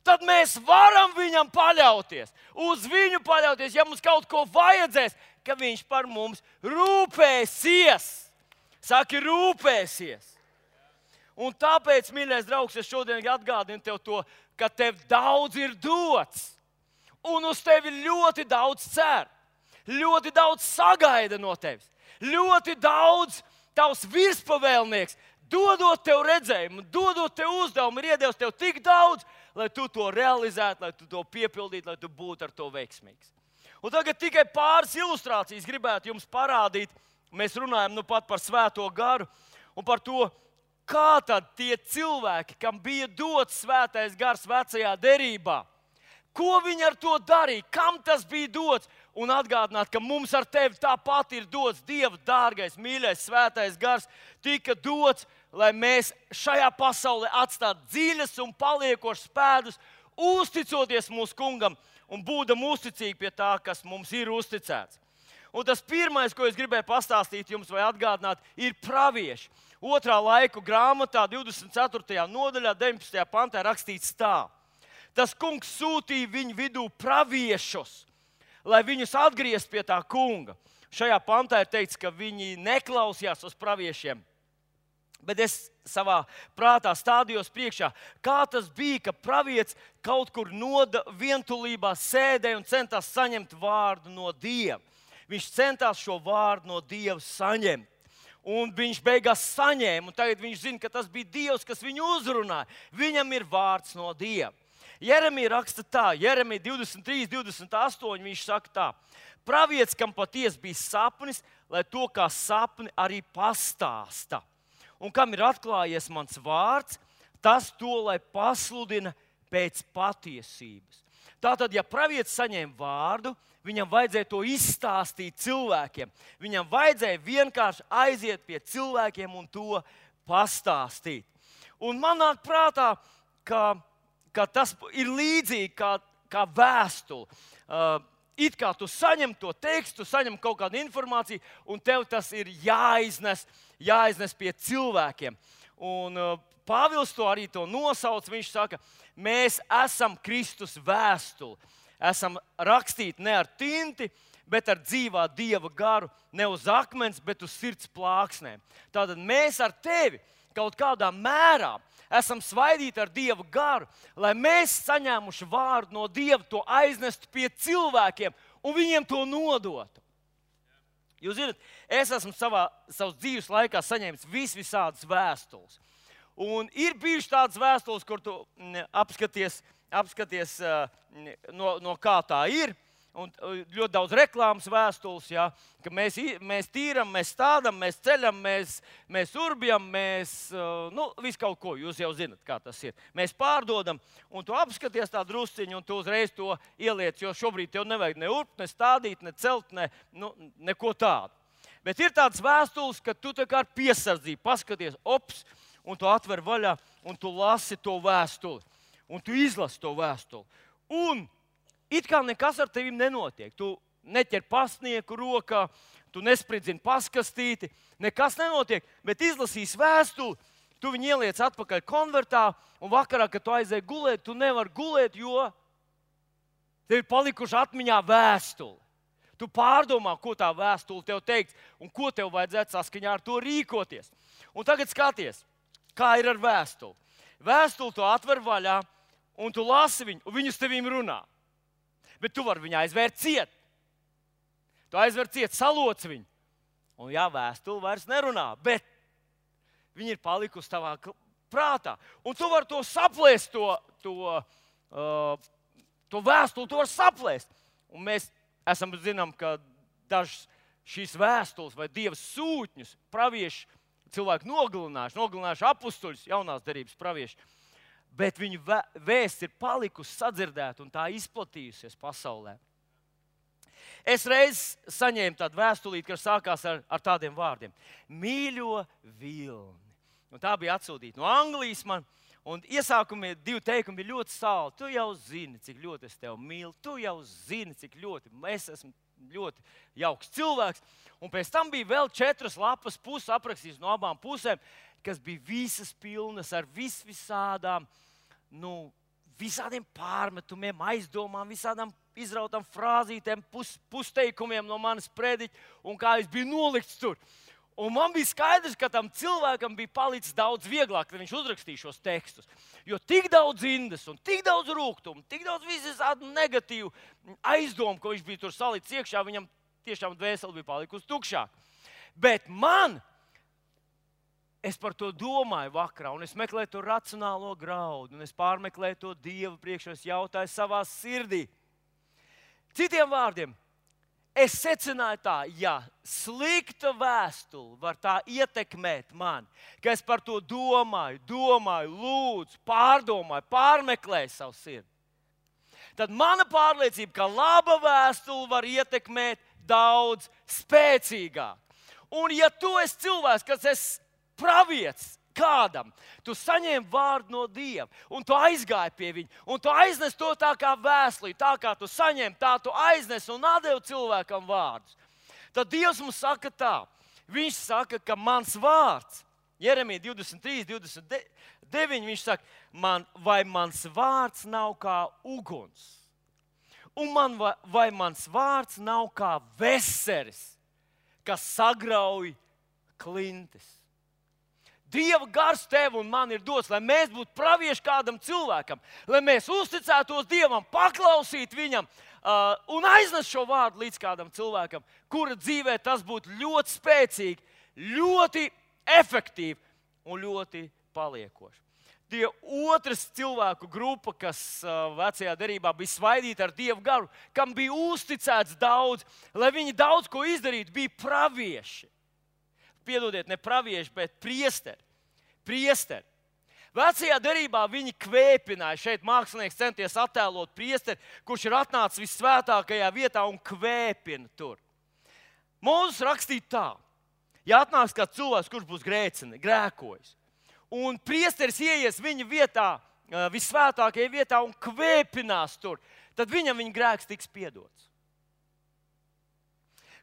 tad mēs varam viņam paļauties, uz viņu paļauties, ja mums kaut ko vajadzēs, ka viņš par mums rūpēsies. Saki, rūpēsies. Un tāpēc, mīļais draugs, es šodien atgādinu tev to, ka tev daudz ir dots. Un uz tevi ļoti daudz cer, ļoti daudz sagaida no tevis, ļoti daudz tavs virspavēlnieks dodot tev redzējumu, dodot tev uzdevumu, ir iedevis tev tik daudz, lai tu to realizētu, lai tu to piepildītu, lai tu būtu ar to veiksmīgs. Un tagad tikai pāris ilustrācijas gribētu jums parādīt. Mēs runājam nu pat par Svēto garu un par to, kā tad tie cilvēki, kam bija dots Svētais gars vecajā derībā, ko viņi ar to darīja, kam tas bija dots. Un atgādināt, ka mums ar tevi tāpat ir dots Dieva dārgais, mīļais, Svētais gars, tika dots, lai mēs šajā pasaulē atstātu dziļas un paliekošas pēdas, uzticoties mūsu kungam un būdam uzticīgi pie tā, kas mums ir uzticēts. Un tas pirmais, ko es gribēju pastāstīt jums vai atgādināt, ir pravieši. 2. laiku grāmatā, 24. nodaļā, 19. pantā rakstīts tā. Tas kungs sūtīja viņu vidū praviešus, lai viņus atgrieztu pie tā kunga. Šajā pantā ir teikts, ka viņi neklausījās uz praviešiem. Bet es savā prātā stādījos priekšā, kā tas bija, ka pravietis kaut kur vientulībā sēdēja un centās saņemt vārdu no Dieva. Viņš centās šo vārdu no Dieva saņemt. Un viņš beigās saņēma, un tagad viņš zina, ka tas bija Dievs, kas viņu uzrunāja. Viņam ir vārds no Dieva. Jeremija raksta tā, Jeremija 23, 28, viņš saka tā. Pravietis, kam patiesi bija sapnis, lai to kā sapni arī pastāsta. Un kam ir atklājies mans vārds, tas to, lai pasludina pēc patiesības. Tātad, ja pravietis saņēma vārdu, viņam vajadzēja to izstāstīt cilvēkiem. Viņam vajadzēja vienkārši aiziet pie cilvēkiem un to pastāstīt. Un man nāk prātā, ka tas ir līdzīgi kā vēstule. It kā tu saņem to tekstu, saņem kaut kādu informāciju, un tev tas ir jāiznes pie cilvēkiem. Un Pāvils to arī nosauc. Viņš saka, mēs esam Kristus vēstule. Esam rakstīti ne ar tinti, bet ar dzīvā Dieva garu, ne uz akmens, bet uz sirds plāksnēm. Tātad mēs ar tevi kaut kādā mērā esam svaidīti ar Dieva garu, lai mēs saņēmuši vārdu no Dieva, to aiznestu pie cilvēkiem un viņiem to nodotu. Jūs zināt, es esmu savas dzīves laikā saņēmis visādas vēstules. Un ir bijušas tādas vēstules, kur tu apskaties no kā tā ir. Un ļoti daudz reklāmas vēstules, ja, ka mēs tīram, mēs stādām, mēs ceļam, mēs urbjam, visu kaut ko. Jūs jau zināt, kā tas ir. Mēs pārdodam, un tu apskaties tā drusciņu, un tu uzreiz to ieliec, jo šobrīd tev nevajag ne urbt, ne stādīt, ne celt, neko tādu. Bet ir tādas vēstules, ka tu tā kā ar piesardzību paskaties, un tu atver vaļā, un tu lasi to vēstuli. Un tu izlasi to vēstuli. Un it kā nekas ar tevi nenotiek. Tu neķer pastnieku rokā, tu nespridzini paskastīti, nekas nenotiek, bet izlasīs vēstuli, tu viņu ieliec atpakaļ konvertā, un vakarā, kad tu aizēji gulēt, tu nevari gulēt, jo tev ir palikuši atmiņā vēstuli. Tu pārdomā, ko tā vēstule tev teiks, un ko tev vajadzētu saskaņā ar to rīkoties. Un tagad skaties, kā ir ar vēstuli. Vēstuli tu atver vaļā, un tu lasi viņu, un viņu uz tevīm runā. Bet tu vari viņu aizvērt ciet. Tu aizver ciet, saloc viņu. Un jā, vēstuli vairs nerunā, bet viņi ir palikusi tavā prātā. Un tu vari to saplēst, to vēstuli, tu vari saplēst. Un mēs zinām, ka dažas šīs vēstules vai Dieva sūtņus pravieši cilvēki nogalinājuši apustuļus, jaunās derības pravieši. Bet viņu vēsts ir palikusi sadzirdēta un tā izplatījusies pasaulē. Es reiz saņēmu tādu vēstulīti, kas sākās ar tādiem vārdiem. Mīļo vilni. Un tā bija atsūtīta no Anglijas man. Un iesākumie 2 teikumi bija ļoti saldi. Tu jau zini, cik ļoti es tevi mīlu. Tu jau zini, cik ļoti es esmu ļoti jauks cilvēks. Un pēc tam bija vēl 4 lapas puses aprakstīts no abām pusēm, kas bija visas pilnas ar visādām, visādiem pārmetumiem, aizdomām, visādām izrautām frāzītēm, pusteikumiem no manas prediķa, un kā es biju nolikts tur. Un man bija skaidrs, ka tam cilvēkam bija palicis daudz vieglāk, kad viņš uzrakstīja šos tekstus. Jo tik daudz indes un tik daudz rūgtumu, tik daudz visādu negatīvu aizdomu, ko viņš bija tur salicis iekšā, viņam tiešām dvēseli bija palikusi tukšāk. Bet man es par to domāju vakarā, un es meklēju to racionālo graudu, un es pārmeklēju to Dievu priekšā, es jautāju savā sirdī. Citiem vārdiem, es secināju tā, ja slikta vēstule var tā ietekmēt mani, ka es par to domāju, lūdzu, pārdomāju, pārmeklēju savu sirdi, tad mana pārliecība, ka laba vēstule var ietekmēt daudz spēcīgāk. Un ja tu esi cilvēks, kas esi pravietis kādam, tu saņēmi vārdu no Dieva, un tu aizgāji pie viņa, un tu aiznes to tā kā vēstuli, tā kā tu saņēmi, tā tu aiznes un atdevi cilvēkam vārdus. Tad Dievs mums saka tā, viņš saka, ka mans vārds, Jeremija 23, 29, viņš saka, vai mans vārds nav kā uguns, un vai mans vārds nav kā veseris, kas sagrauj klintis. Dieva gars tev un man ir dots, lai mēs būtu pravieši kādam cilvēkam, lai mēs uzticētos Dievam, paklausītu viņam un aiznest šo vārdu līdz kādam cilvēkam, kura dzīvē tas būtu ļoti spēcīgi, ļoti efektīvi un ļoti paliekoši. Tie otrs cilvēku grupa, kas vecajā derībā bija svaidīta ar Dievu garu, kam bija uzticēts daudz, lai viņi daudz ko izdarītu, bija pravieši. Piedodiet, ne pravieši, bet priesteri. Vecajā derībā viņi kvēpināja. Šeit mākslinieks centies attēlot priesteri, kurš ir atnācis visvētākajā vietā un kvēpina tur. Mūzes rakstīja tā, ja atnāks kāds cilvēks, kurš būs grēkojis, un priesteris ieies viņa vietā, visvētākajā vietā un kvēpinās tur, tad viņam viņa grēks tiks piedots.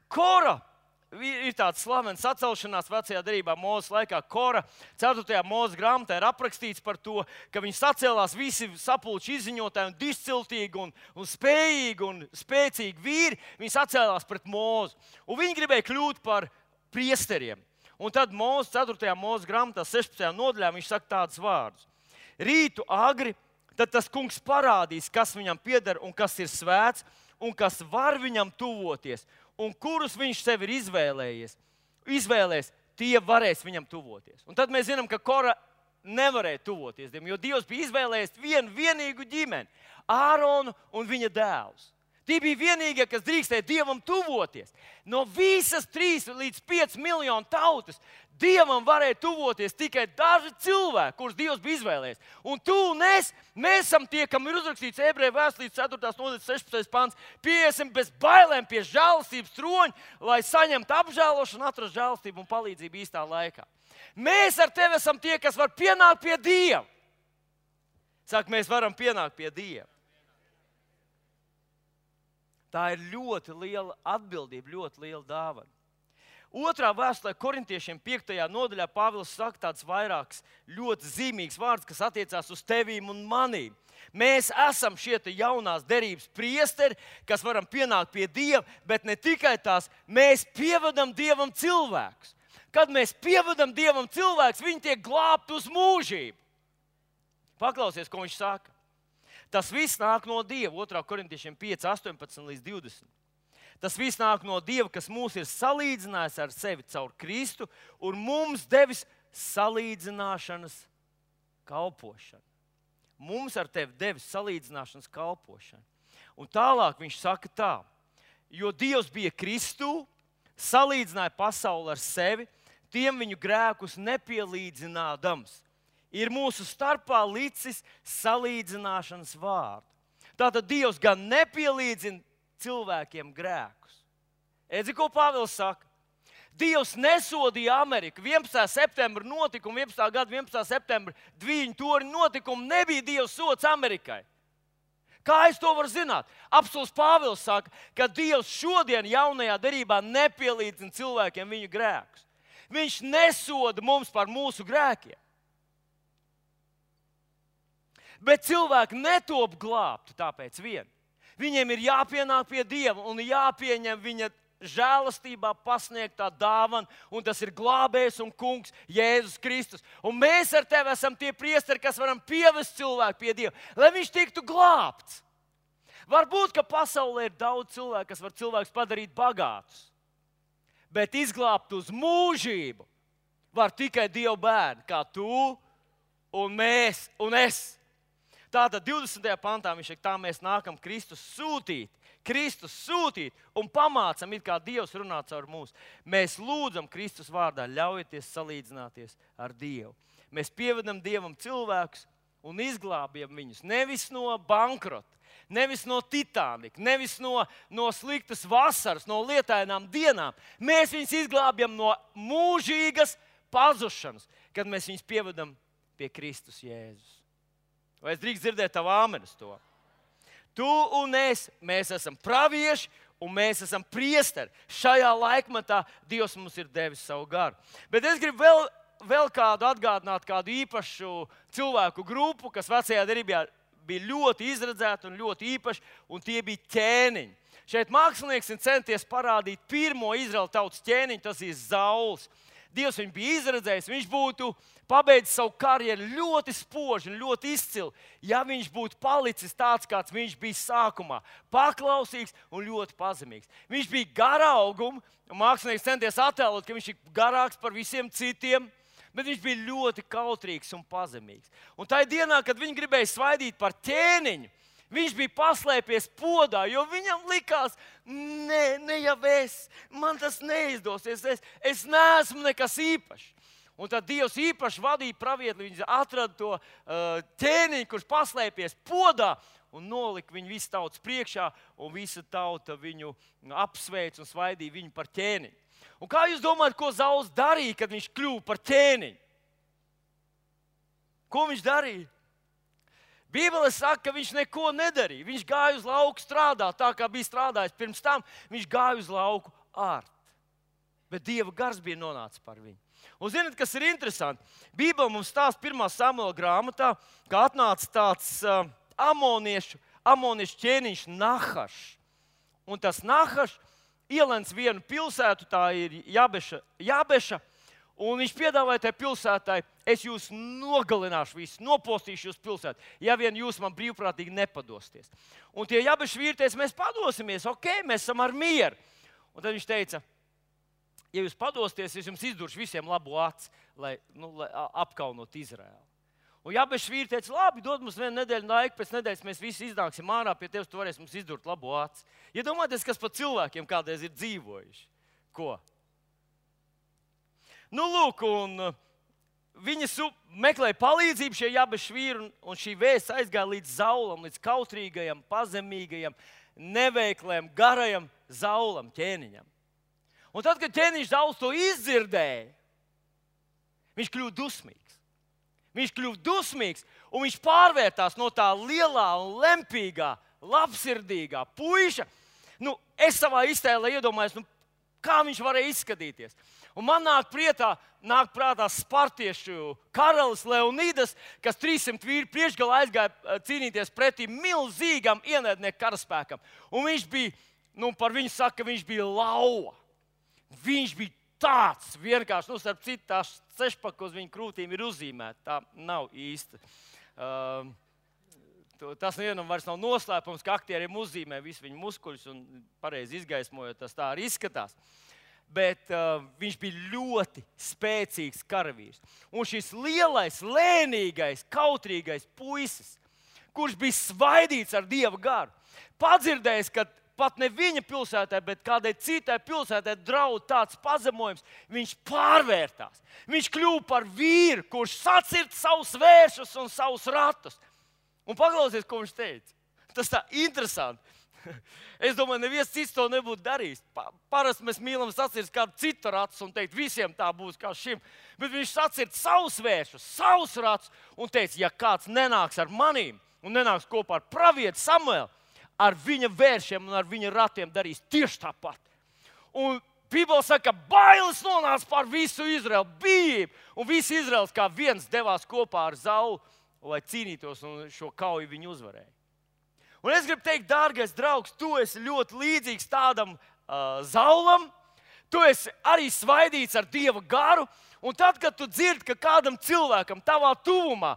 Kora ir tāds slavens atcelšanās vecajā derībā Mūzes laikā. Kora 4. Mūzes grāmatā ir aprakstīts par to, ka viņi sacēlās visi sapulču izziņotāji un disciltīgi un spējīgi un spēcīgi vīri. Viņi sacēlās pret Mūzu. Un viņi gribēja kļūt par priesteriem. Un tad Mūzes 4. Mūzes grāmatā 16. nodaļā viņš saka tādus vārdus. Rītu agri, tad tas kungs parādīs, kas viņam pieder un kas ir svēts un kas var viņam tuvoties. Un kurus viņš sev ir izvēlējies, tie varēs viņam tuvoties. Un tad mēs zinām, ka Kora nevarēja tuvoties Dievam, jo Dievs bija izvēlējies vienīgu ģimeni, Āronu un viņa dēlus. Tie bija vienīgie, kas drīkstēja Dievam tuvoties. No visas 3 līdz 5 miljonu tautas Dievam varēja tuvoties tikai daži cilvēki, kurus Dievs bija izvēlējies. Un tu un es, mēs esam tie, kam ir uzrakstīts Ebreju vēstulītes 4. nodaļas 16. pants, pieiesim bez bailēm pie žēlastības troņa, lai saņemtu apžēlošanu, atrastu žēlastību un palīdzību īstā laikā. Mēs ar tevi esam tie, kas var pienākt pie Dieva. Saka, mēs varam pienākt pie Dieva. Tā ir ļoti liela atbildība, ļoti liela dāvana. Otrā vēstulē korintiešiem 5. nodaļā Pāvils saka tāds vairāks ļoti zīmīgs vārds, kas attiecās uz tevīm un manīm. Mēs esam šie jaunās derības priesteri, kas varam pienākt pie Dieva, bet ne tikai tās, mēs pievedam Dievam cilvēkus. Kad mēs pievedam Dievam cilvēkus, viņi tiek glābti uz mūžību. Paklausies, ko viņš saka. Tas viss nāk no Dieva, 2. korintiešiem 5, 18 līdz 20. Tas viss nāk no Dieva, kas mūs ir salīdzinājis ar sevi caur Kristu un mums devis salīdzināšanas kalpošanu. Mums ar tevi devis salīdzināšanas kalpošanu. Un tālāk viņš saka tā, jo Dievs bija Kristū, salīdzināja pasauli ar sevi, tiem viņu grēkus nepielīdzinādams. Ir mūsu starpā licis salīdzināšanas vārdu. Tātad Dievs gan nepielīdzina cilvēkiem grēkus. Edzi, ko Pāvils saka? Dievs nesodīja Ameriku. 11. septembra notikuma, 11. gada 11. septembra Dviņu torņu notikuma nebija Dieva sods Amerikai. Kā es to varu zināt? Apostuls Pāvils saka, ka Dievs šodien jaunajā derībā nepielīdzina cilvēkiem viņu grēkus. Viņš nesoda mums par mūsu grēkiem. Bet cilvēki netop glābti tāpēc vien. Viņiem ir jāpienāk pie Dieva un jāpieņem viņa žēlastībā pasniegtā dāvana, un tas ir glābējs un kungs Jēzus Kristus. Un mēs ar tevi esam tie priesteri, kas varam pievest cilvēku pie Dieva, lai viņš tiktu glābts. Varbūt, ka pasaulē ir daudz cilvēku, kas var cilvēkus padarīt bagātus, bet izglābt uz mūžību var tikai Dieva bērni, kā tu un mēs un es. Tātad 20. pantā viņš saka, tā mēs nākam Kristus sūtīt un pamācam, it kā Dievs runā caur mums. Mēs lūdzam Kristus vārdā, ļaujieties salīdzināties ar Dievu. Mēs pievedam Dievam cilvēkus un izglābjam viņus nevis no bankrota, nevis no Titanika, nevis no sliktas vasaras, no lietainām dienām. Mēs viņus izglābjam no mūžīgas pazušanas, kad mēs viņus pievedam pie Kristus Jēzus. Vai es drīkst dzirdēt tavu āmeni uz to? Tu un es, mēs esam pravieši un mēs esam priesteri. Šajā laikmatā Dievs mums ir devis savu garu. Bet es gribu vēl kādu atgādināt, kādu īpašu cilvēku grupu, kas vecajā derībā bija ļoti izredzēti un ļoti īpaši, un tie bija ķēniņi. Šeit mākslinieks ir centies parādīt pirmo Izraēla tautas ķēniņu, tas ir Sauls. Dievs viņu bija izredzējis, viņš būtu pabeidzis savu karjeru ļoti spoži un ļoti izcili, ja viņš būtu palicis tāds, kāds viņš bija sākumā. Paklausīgs un ļoti pazemīgs. Viņš bija gara auguma, un mākslinieks centies attēlot, ka viņš ir garāks par visiem citiem, bet viņš bija ļoti kautrīgs un pazemīgs. Un tajā dienā, kad viņi gribēja svaidīt par ķēniņu, viņš bija paslēpies podā, jo viņam likās, ne jau man tas neizdosies, es neesmu nekas īpašs. Un tad Dievs īpaši vadīja pravieti, viņš atrada to ķēniņu, kurš paslēpies podā un nolika viņu visu tautas priekšā, un visa tauta viņu apsveic un svaidīja viņu par ķēniņu. Un kā jūs domājat, ko Sauls darīja, kad viņš kļuva par ķēniņu? Ko viņš darīja? Bībele saka, ka viņš neko nedarīja. Viņš gāja uz lauku strādāt, tā kā bija strādājis pirms tam. Viņš gāja uz lauku ārt. Bet Dieva gars bija nonācis par viņu. Un zināt, kas ir interesanti? Bībele mums stāsta 1. Samuela grāmatā, ka atnāca tāds amoniešu ķēniņš Nahašs. Un tas Nahašs ielēns vienu pilsētu, tā ir Jabeša. Un viņš piedāvāja tajā pilsētai, es jūs nogalināšu visus, nopostīšu jūs pilsētu, ja vien jūs man brīvprātīgi nepadosties. Un tie Jabešu vīri teica, mēs padosimies, mēs esam ar mieru. Un tad viņš teica, ja jūs padosties, es jums izduršu visiem labu aci, lai apkaunot Izraēlu. Un Jabešu vīri teica, labi, dod mums vienu nedēļu laiku, pēc nedēļas mēs visi iznāksim ārā pie tevis, tu varēsi mums izdurt labu aci. Iedomājieties, kas pa cilvēkiem kādreiz ir dzīvojuši. Ko? Lūk, un viņi meklēja palīdzību šie Jabešu vīri, un šī vēsts aizgāja līdz Saulam, līdz kautrīgajam, pazemīgajam, neveiklajam, garajam Saulam, ķēniņam. Un tad, kad ķēniņš Sauls to izdzirdēja, viņš kļuva dusmīgs. Viņš kļuva dusmīgs, un viņš pārvērtās no tā lielā un lempīgā, labsirdīgā puiša. Es savā iztēlē iedomājos, kā viņš varēja izskatīties. Un man nāk prātā spartiešu karalis Leonidas, kas 300 vīri priekšgalā aizgāja cīnīties pretī milzīgam ienaidnieku karaspēkam. Un viņš bija, par viņu saka, ka viņš bija lauva. Viņš bija tāds vienkārši, starp citu, tās sešpaka uz viņa krūtīm ir uzzīmēta. Tā nav īsta. Tas nevienam vairs nav noslēpums, ka aktieriem uzzīmē visu viņu muskuļus un pareizi izgaismojot, tas tā arī izskatās. Bet viņš bija ļoti spēcīgs karavīrs. Un šis lielais, lēnīgais, kautrīgais puisis, kurš bija svaidīts ar Dieva garu, padzirdējis, ka pat ne viņa pilsētā, bet kādai citai pilsētai draud tāds pazemojums, viņš pārvērtās. Viņš kļuva par vīru, kurš sacirta savus vēršus un savus ratus. Un paklausies, ko viņš teica. Tas tā interesanti. Es domāju, neviens cits to nebūtu darījis. Parasti mēs mīlam sacirst kādu citu ratus un teikt, visiem tā būs kā šim. Bet viņš sacirta savus vēršus, savus ratus un teica, ja kāds nenāks ar manīm un nenāks kopā ar pravietu Samuelu, ar viņa vēršiem un ar viņa ratiem darīs tieši tāpat. Un Bībele saka, ka bailes nonāca pār visu Izraelu, bijību. Un visi Izraels kā viens devās kopā ar Saulu, lai cīnītos un šo kauju viņi uzvarēja. Un es gribu teikt, dārgais draugs, tu esi ļoti līdzīgs tādam Saulam, Tu esi arī svaidīts ar Dieva garu, un tad, kad tu dzirdi, ka kādam cilvēkam tavā tuvumā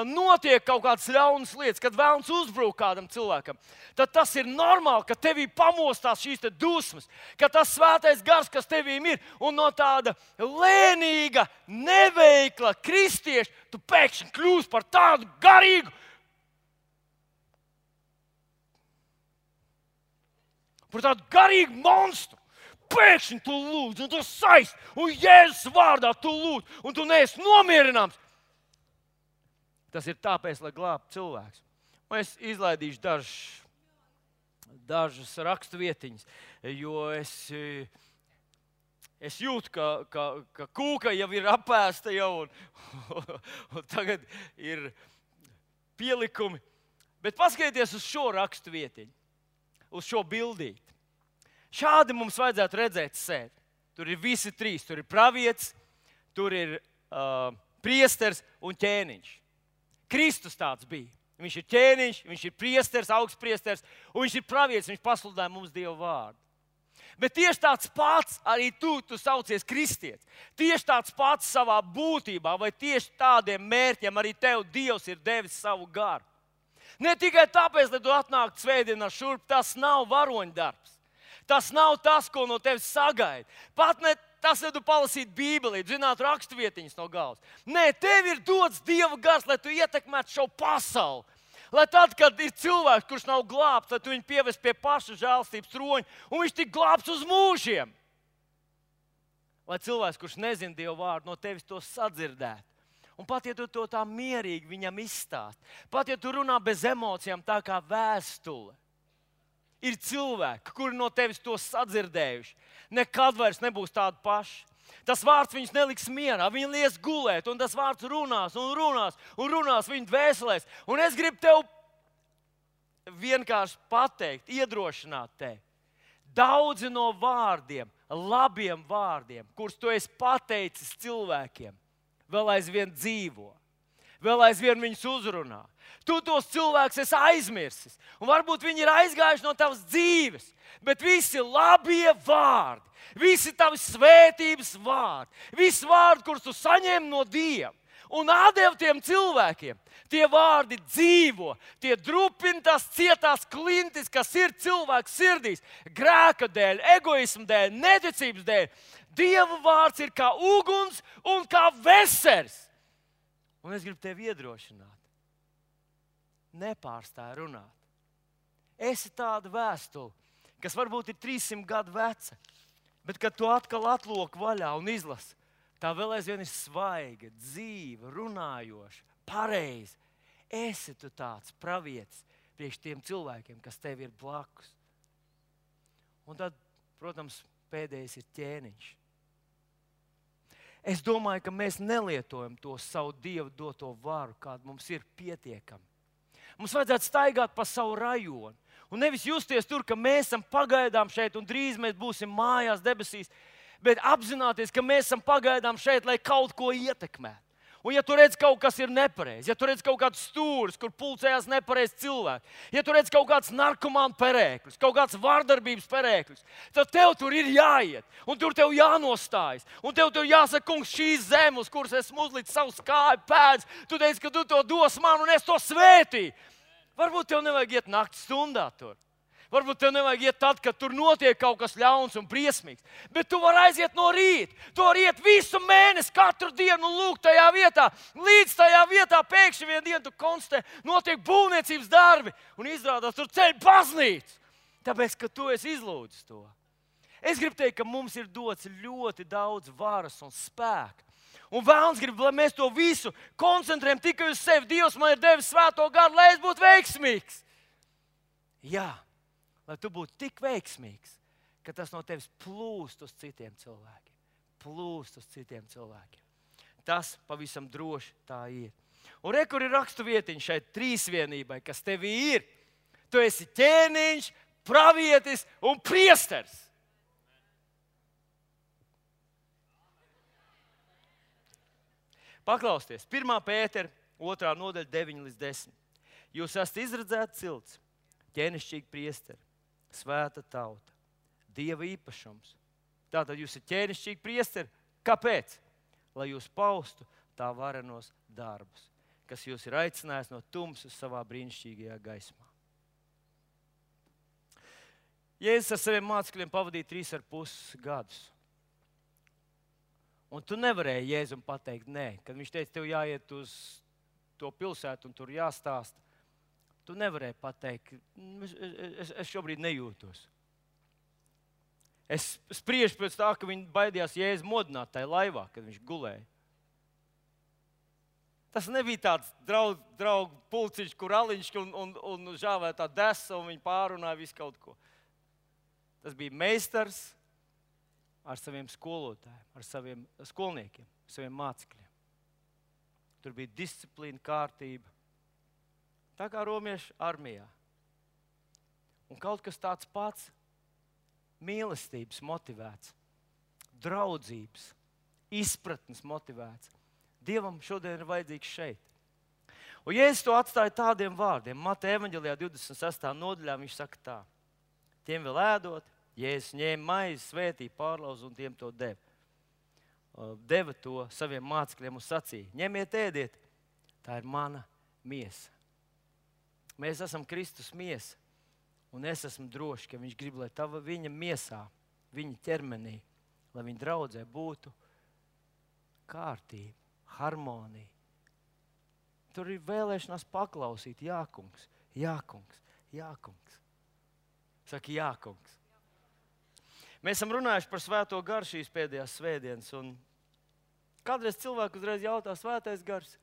notiek kaut kādas ļaunas lietas, kad vēlns uzbrūk kādam cilvēkam, tad tas ir normāli, ka tevī pamostās šīs dusmas, ka tas svētais gars, kas tevīm ir, un no tāda lēnīga, neveikla kristieša, tu pēkšņi kļūsi par tādu garīgu, monstru. Pēkšņi tu lūdz, un tu saist, un Jēzus vārdā tu lūdz, un tu neesi nomierināms. Tas ir tāpēc, lai glābtu cilvēks. Un es izlaidīšu dažas rakstvietiņas, jo es jūtu, ka kūka jau ir apēsta jau, un tagad ir pielikumi. Bet paskatieties uz šo rakstvietiņu, uz šo bildīti. Šādi mums vajadzētu redzēt sevi. Tur ir visi trīs. Tur ir pravietis, tur ir priesteris un ķēniņš. Kristus tāds bija. Viņš ir ķēniņš, viņš ir priesteris, augstpriesteris, un viņš ir pravietis, viņš pasludināja mums Dieva vārdu. Bet tieši tāds pats arī tu saucies kristietis. Tieši tāds pats savā būtībā, vai tieši tādiem mērķiem arī tev Dievs ir devis savu garu. Ne tikai tāpēc, lai tu atnāktu svētdienā šurp, tas nav varoņdarbs. Tas nav tas, ko no tevis sagaida. Pat ne tas, ja tu palasītu Bībeli, zinātu rakstvietiņas no galvas. Nē, tev ir dots Dieva gars, lai tu ietekmētu šo pasauli. Lai tad, kad ir cilvēks, kurš nav glābts, tad tu viņu pievest pie paša žēlstības troņa, un viņš tik glābts uz mūžiem. Lai cilvēks, kurš nezina Dieva vārdu, no tevis to sadzirdētu. Un pat, ja tu to tā mierīgi viņam izstāst, pat, ja tu runā bez emocijām tā kā vēstule, ir cilvēki, kuri no tevis to sadzirdējuši. Nekad vairs nebūs tādi paši. Tas vārds viņus neliks mierā, viņi lies gulēt, un tas vārds runās un runās un runās viņu dvēselēs. Un es gribu tev vienkārši pateikt, iedrošināt tevi. Daudzi no vārdiem, labiem vārdiem, kurus tu esi pateicis cilvēkiem, vēl aizvien dzīvo. Vēl aizvien viņus uzrunā. Tu tos cilvēkus esi aizmirsis. Un varbūt viņi ir aizgājuši no tavas dzīves. Bet visi labie vārdi, visi tavi svētības vārdi, visi vārdi, kurus tu saņem no Dieva un atdev tiem cilvēkiem, tie vārdi dzīvo, tie drupina tās cietās klintis, kas ir cilvēku sirdīs, grēka dēļ, egoisma dēļ, neticības dēļ. Dieva vārds ir kā uguns un kā vesers. Un es gribu tevi iedrošināt. Nepārstāj runāt. Esi tāda vēstule, kas varbūt ir 300 gadu veca, bet kad tu atkal atloki vaļā un izlasi, tā vēl aizvien ir svaiga, dzīva, runājoša, pareiza. Esi tu tāds pravietis priekš tiem cilvēkiem, kas tev ir blakus. Un tad, protams, pēdējais ir ķēniņš. Es domāju, ka mēs nelietojam to savu Dievu doto varu, kāda mums ir pietiekama. Mums vajadzētu staigāt pa savu rajonu. Un nevis justies tur, ka mēs esam pagaidām šeit un drīz mēs būsim mājās debesīs, bet apzināties, ka mēs esam pagaidām šeit, lai kaut ko ietekmētu. Un ja tu redz kaut kas ir nepareizi, ja tu redz kaut kāds stūris, kur pulcējās nepareizi cilvēki, ja tu redz kaut kāds narkomānu perēklis, kaut kāds vardarbības perēklis, tad tev tur ir jāiet, un tur tev jānostājas. Un tev tur jāsaka, kungs, šīs zemes, uz kuras esmu uzlicis savus kāju pēdas, tu teici, ka tu to dos man, un es to svētīju. Varbūt tev nevajag iet naktas stundā tur. Varbūt tev nevajag iet tad, kad tur notiek kaut kas ļauns un briesmīgs. Bet tu vari aiziet no rīta. Tu vari iet visu mēnesi, katru dienu un lūgt tajā vietā. Līdz tajā vietā pēkšņi vienu dienu tu konstatē, notiek būvniecības darbi. Un izrādās, tur ceļ baznīca. Tāpēc, ka tu esi izlūdzis to. Es gribu teikt, ka mums ir dots ļoti daudz varas un spēka. Un vēlns grib, lai mēs to visu koncentrējam tikai uz sevi. Dievs man ir devis svēto garu, lai es būtu veiksmīgs. Jā. Lai tu būtu tik veiksmīgs, ka tas no tevis plūst uz citiem cilvēkiem. Plūst uz citiem cilvēkiem. Tas pavisam droši tā ir. Un re, kur ir raksturvietiņa šai trīsvienībai, kas tevī ir. Tu esi ķēniņš, pravietis un priesteris. Paklausieties, 1. Pētera 2. nodaļa 9-10. Jūs esat izredzēti cilts, ķēnišķīgi priesteri, svēta tauta, Dieva īpašums, Tātad jūs esat ķēnišķīgi priesteri. Kāpēc? Lai jūs paustu tā varenos darbus, kas jūs ir aicinājis no tumsas savā brīnišķīgajā gaismā. Jēzus ar saviem mācekļiem pavadīja 3,5 gadus. Un tu nevarēji Jēzum pateikt nē, kad viņš teica, tev jāiet uz to pilsētu un tur jāstāsta. Tu nevarēji pateikt, es šobrīd nejūtos. Es spriežu pēc tā, ka viņi baidījās Jēzu modināt tajā laivā, kad viņš gulēja. Tas nebija tāds draugu pulciņš, kur aliņš un žāvēja tā desa un viņi pārunāja visu kaut ko. Tas bija meistars ar saviem skolotājiem, ar saviem skolniekiem, saviem mācekļiem. Tur bija disciplīna, kārtība. Tā kā romiešu armijā. Un kaut kas tāds pats mīlestības motivēts, draudzības, izpratnes motivēts. Dievam šodien ir vajadzīgs šeit. Un Jēzus to atstāja tādiem vārdiem. Mateja evaņģelijā 26. nodaļā viņš saka tā. Tiem vēl ēdot, Jēzus ņēma maizi, svētīja, pārlauza un tiem to deva. Deva to saviem mācekļiem un sacīja. Ņemiet, ēdiet, tā ir mana miesa. Mēs esam Kristus miesa. Un es esmu drošs, ka viņš grib, lai viņa miesā, viņa ķermenī, lai viņa draudzē būtu kārtība, harmonija. Tur ir vēlēšanās paklausīt. Jā, kungs, jā, kungs, jā, kungs. Saka, jā, kungs. Mēs esam runājuši par svēto garu šīs pēdējās svētdienas. Un kādreiz cilvēku uzreiz jautā, svētais gars,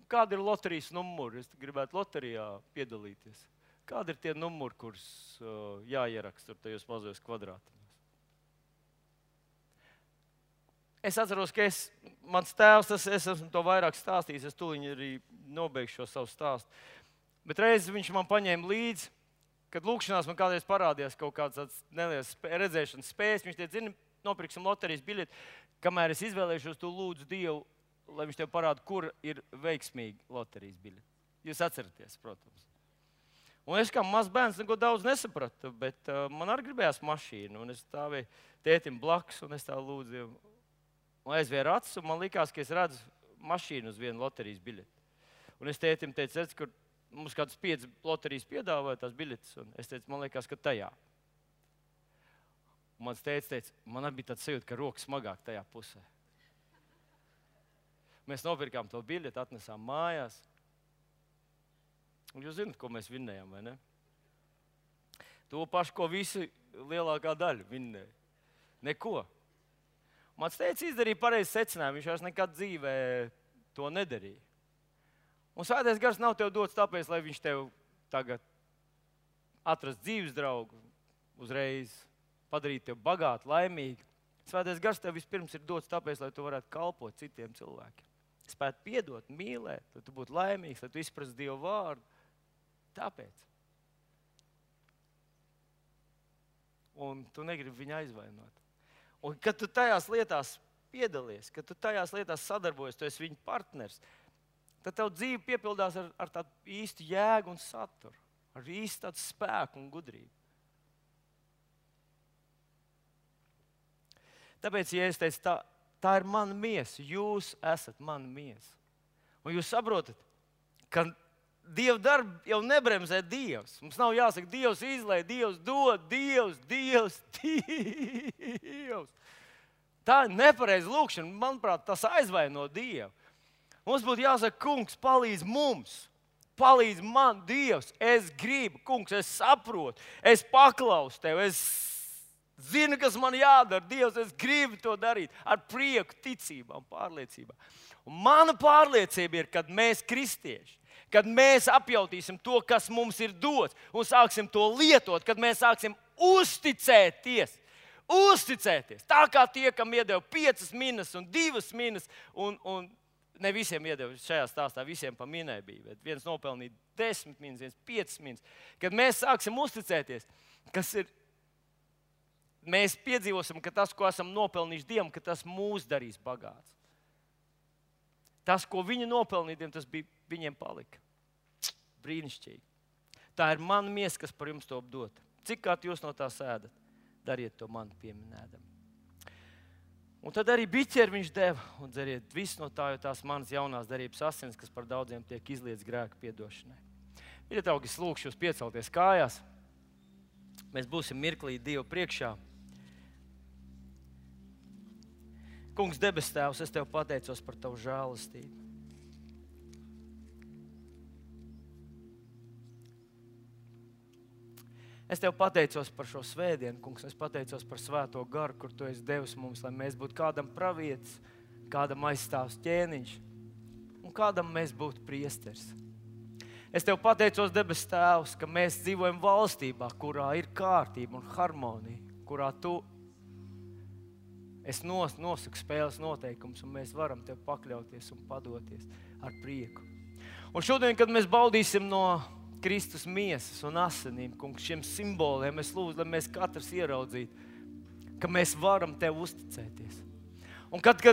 kāda ir loterijas numuri? Es gribētu loterijā piedalīties. Kādi ir tie numuri, kurus jāieraksta tur tajos mazajos kvadrātiņos? Es atceros, ka mans tēvs, es esmu to vairāk stāstījis, es tūliņ arī nobeigšu šo savu stāstu. Bet reiz viņš man paņēma līdzi, kad lūkšanās man kādreiz parādījās kaut kāds neliels redzēšanas spējas. Viņš teica, zini, nopirksim loterijas biļeti, kamēr es izvēlēšos, tu lūdzu Dievu, lai viņš tev parāda, kur ir veiksmīgi loterijas biļeti. Jūs atceraties, protams. Un es kā mazs bērns neko daudz nesapratu, bet man arī gribējās mašīnu. Un es stāvēju tētim blakus un es tā lūdzu Dievu. Un aizvēru acis un man likās, ka es redzu mašīnu uz vienu loterijas biļeti. Un es tētim teicu, redz, kur mums kādas 5 loterijas piedāvāja tās biļetes. Un es teicu, man liekas, ka tajā. Un mans tētis teica, man bija tāds sajūta, ka roka smagāk tajā pusē. Mēs nopirkām to biļeti, atnesām mājās. Un jūs zināt, ko mēs vinnējām, vai ne? To pašu, ko visi lielākā daļa vinnēja. Neko. Mans tētis izdarīja pareizi secinājumu, viņš vairs nekad dzīvē to nedarīja. Un svētais gars nav tev dots tāpēc, lai viņš tev tagad atrast dzīves draugu, uzreiz padarīt tevi bagātu, laimīgu. Svētais gars tev vispirms ir dots tāpēc, lai tu varētu kalpot citiem cilvēkiem. Spēt piedot, mīlēt, lai tu būtu laimīgs, lai tu izprastu Dievu vārdu. Tāpēc. Un tu negribi viņu aizvainot. Un kad tu tajās lietās piedalies, kad tu tajās lietās sadarbojies, tu esi viņa partners, tad tev dzīve piepildās ar tādu īstu jēgu un saturu, ar īstu tādu spēku un gudrību. Tāpēc, ja es teicu, tā ir mana miesa, jūs esat mana miesa. Un jūs saprotat, ka Dieva darbu jau nebremzē Dievs. Mums nav jāsaka, Dievs izlej, Dievs dod, Dievs. Tā ir nepareiza lūkšana. Manuprāt, tas aizvaino Dievu. Mums būtu jāsaka, kungs, palīdz mums. Palīdz man, Dievs. Es gribu, kungs, es saprotu. Es paklausu tev. Es zinu, kas man jādara. Dievs, es gribu to darīt ar prieku, ticībā un pārliecībā. Un mana pārliecība ir, kad mēs kristieši, kad mēs apjautīsim to, kas mums ir dots, un sāksim to lietot, kad mēs sāksim uzticēties. Tā kā tie, kam iedeva 5 minas un 2 minas, un ne visiem iedeva šajā stāstā, visiem pa minai bija, bet viens nopelnīja 10 minas, viens 5 minas. Kad mēs sāksim uzticēties, mēs piedzīvosim, ka tas, ko esam nopelnījuši Dievam, ka tas mūs darīs bagāts. Tas, ko viņi nopelnīja, tas bija viņiem palika. Brīnišķīgi. Tā ir mana miesa, kas par jums to dot. Cik kā jūs no tā sēdat, dariet to man pieminēdam. Un tad arī biķeri viņš deva, un dzeriet visu no tā, jo tās manas jaunās derības asins, kas par daudziem tiek izlietas grēka piedošanai. Mīļie draugi, es lūkšu jūs piecelties kājās. Mēs būsim mirklī Dievu priekšā. Kungs, debes Tēvs, es Tev pateicos par Tavu žēlastību. Es Tev pateicos par šo svētdienu, Kungs. Es pateicos par svēto garu, kur Tu esi devis mums, lai mēs būtu kādam pravietis, kādam aizstāvs ķēniņš un kādam mēs būtu priesteris. Es Tev pateicos, debes Tēvs, ka mēs dzīvojam valstībā, kurā ir kārtība un harmonija, kurā Tu nosaku spēles noteikumus, un mēs varam Tev pakļauties un padoties ar prieku. Un šodien, kad mēs baudīsim no Kristus miesas un asinīm, Kungs, šiem simboliem, es lūdzu, lai mēs katrs ieraudzītu, ka mēs varam Tev uzticēties. Un kad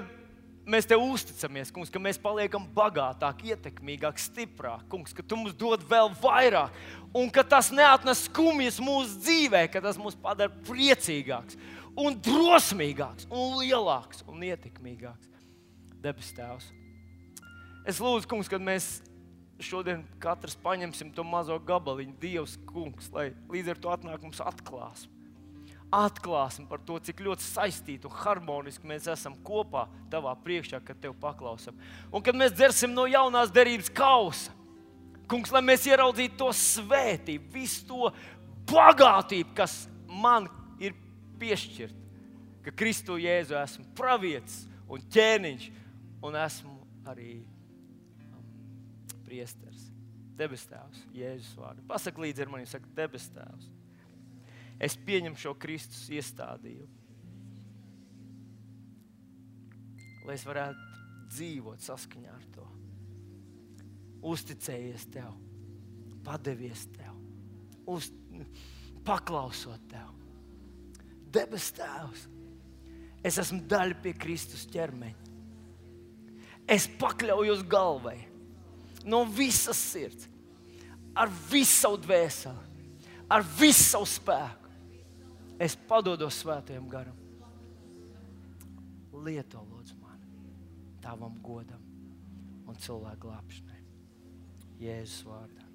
mēs Tev uzticamies, Kungs, ka mēs paliekam bagātāk, ietekmīgāk, stiprāk, Kungs, ka Tu mums dod vēl vairāk, un ka tas neatnes skumjas mūsu dzīvē, ka tas mūs padara priecīgāks un drosmīgāks un lielāks un ietekmīgāks. Debes Tēvs, es lūdzu, Kungs, kad mēs šodien katrs paņemsim to mazo gabaliņu, Dievs, Kungs, lai līdz ar to atnāk mums atklāsim par to, cik ļoti saistīti un harmoniski mēs esam kopā Tavā priekšā, kad Tev paklausam. Un kad mēs dzersim no jaunās derības kausa, Kungs, lai mēs ieraudzītu to svētību, visu to bagātību, kas man ir piešķirta, ka Kristu Jēzu esmu pravietis un ķēniņš un esmu arī priesteris. Debes Tēvs, Jēzus vārdu. Pasaka līdzi ar mani, saka, debes Tēvs, es pieņemu šo Kristus iestādījumu, lai es varētu dzīvot saskaņā ar to. Uzticējies Tev, padevies Tev, paklausot Tev. Debes Tēvs, es esmu daļa pie Kristus ķermeņa. Es pakļaujos galvai no visas sirds, ar visu savu dvēseli, ar visu savu spēku. Es padodos svētajam garam. Lieto, lūdzu, mani Tavam godam un cilvēku glābšanai. Jēzus vārdā.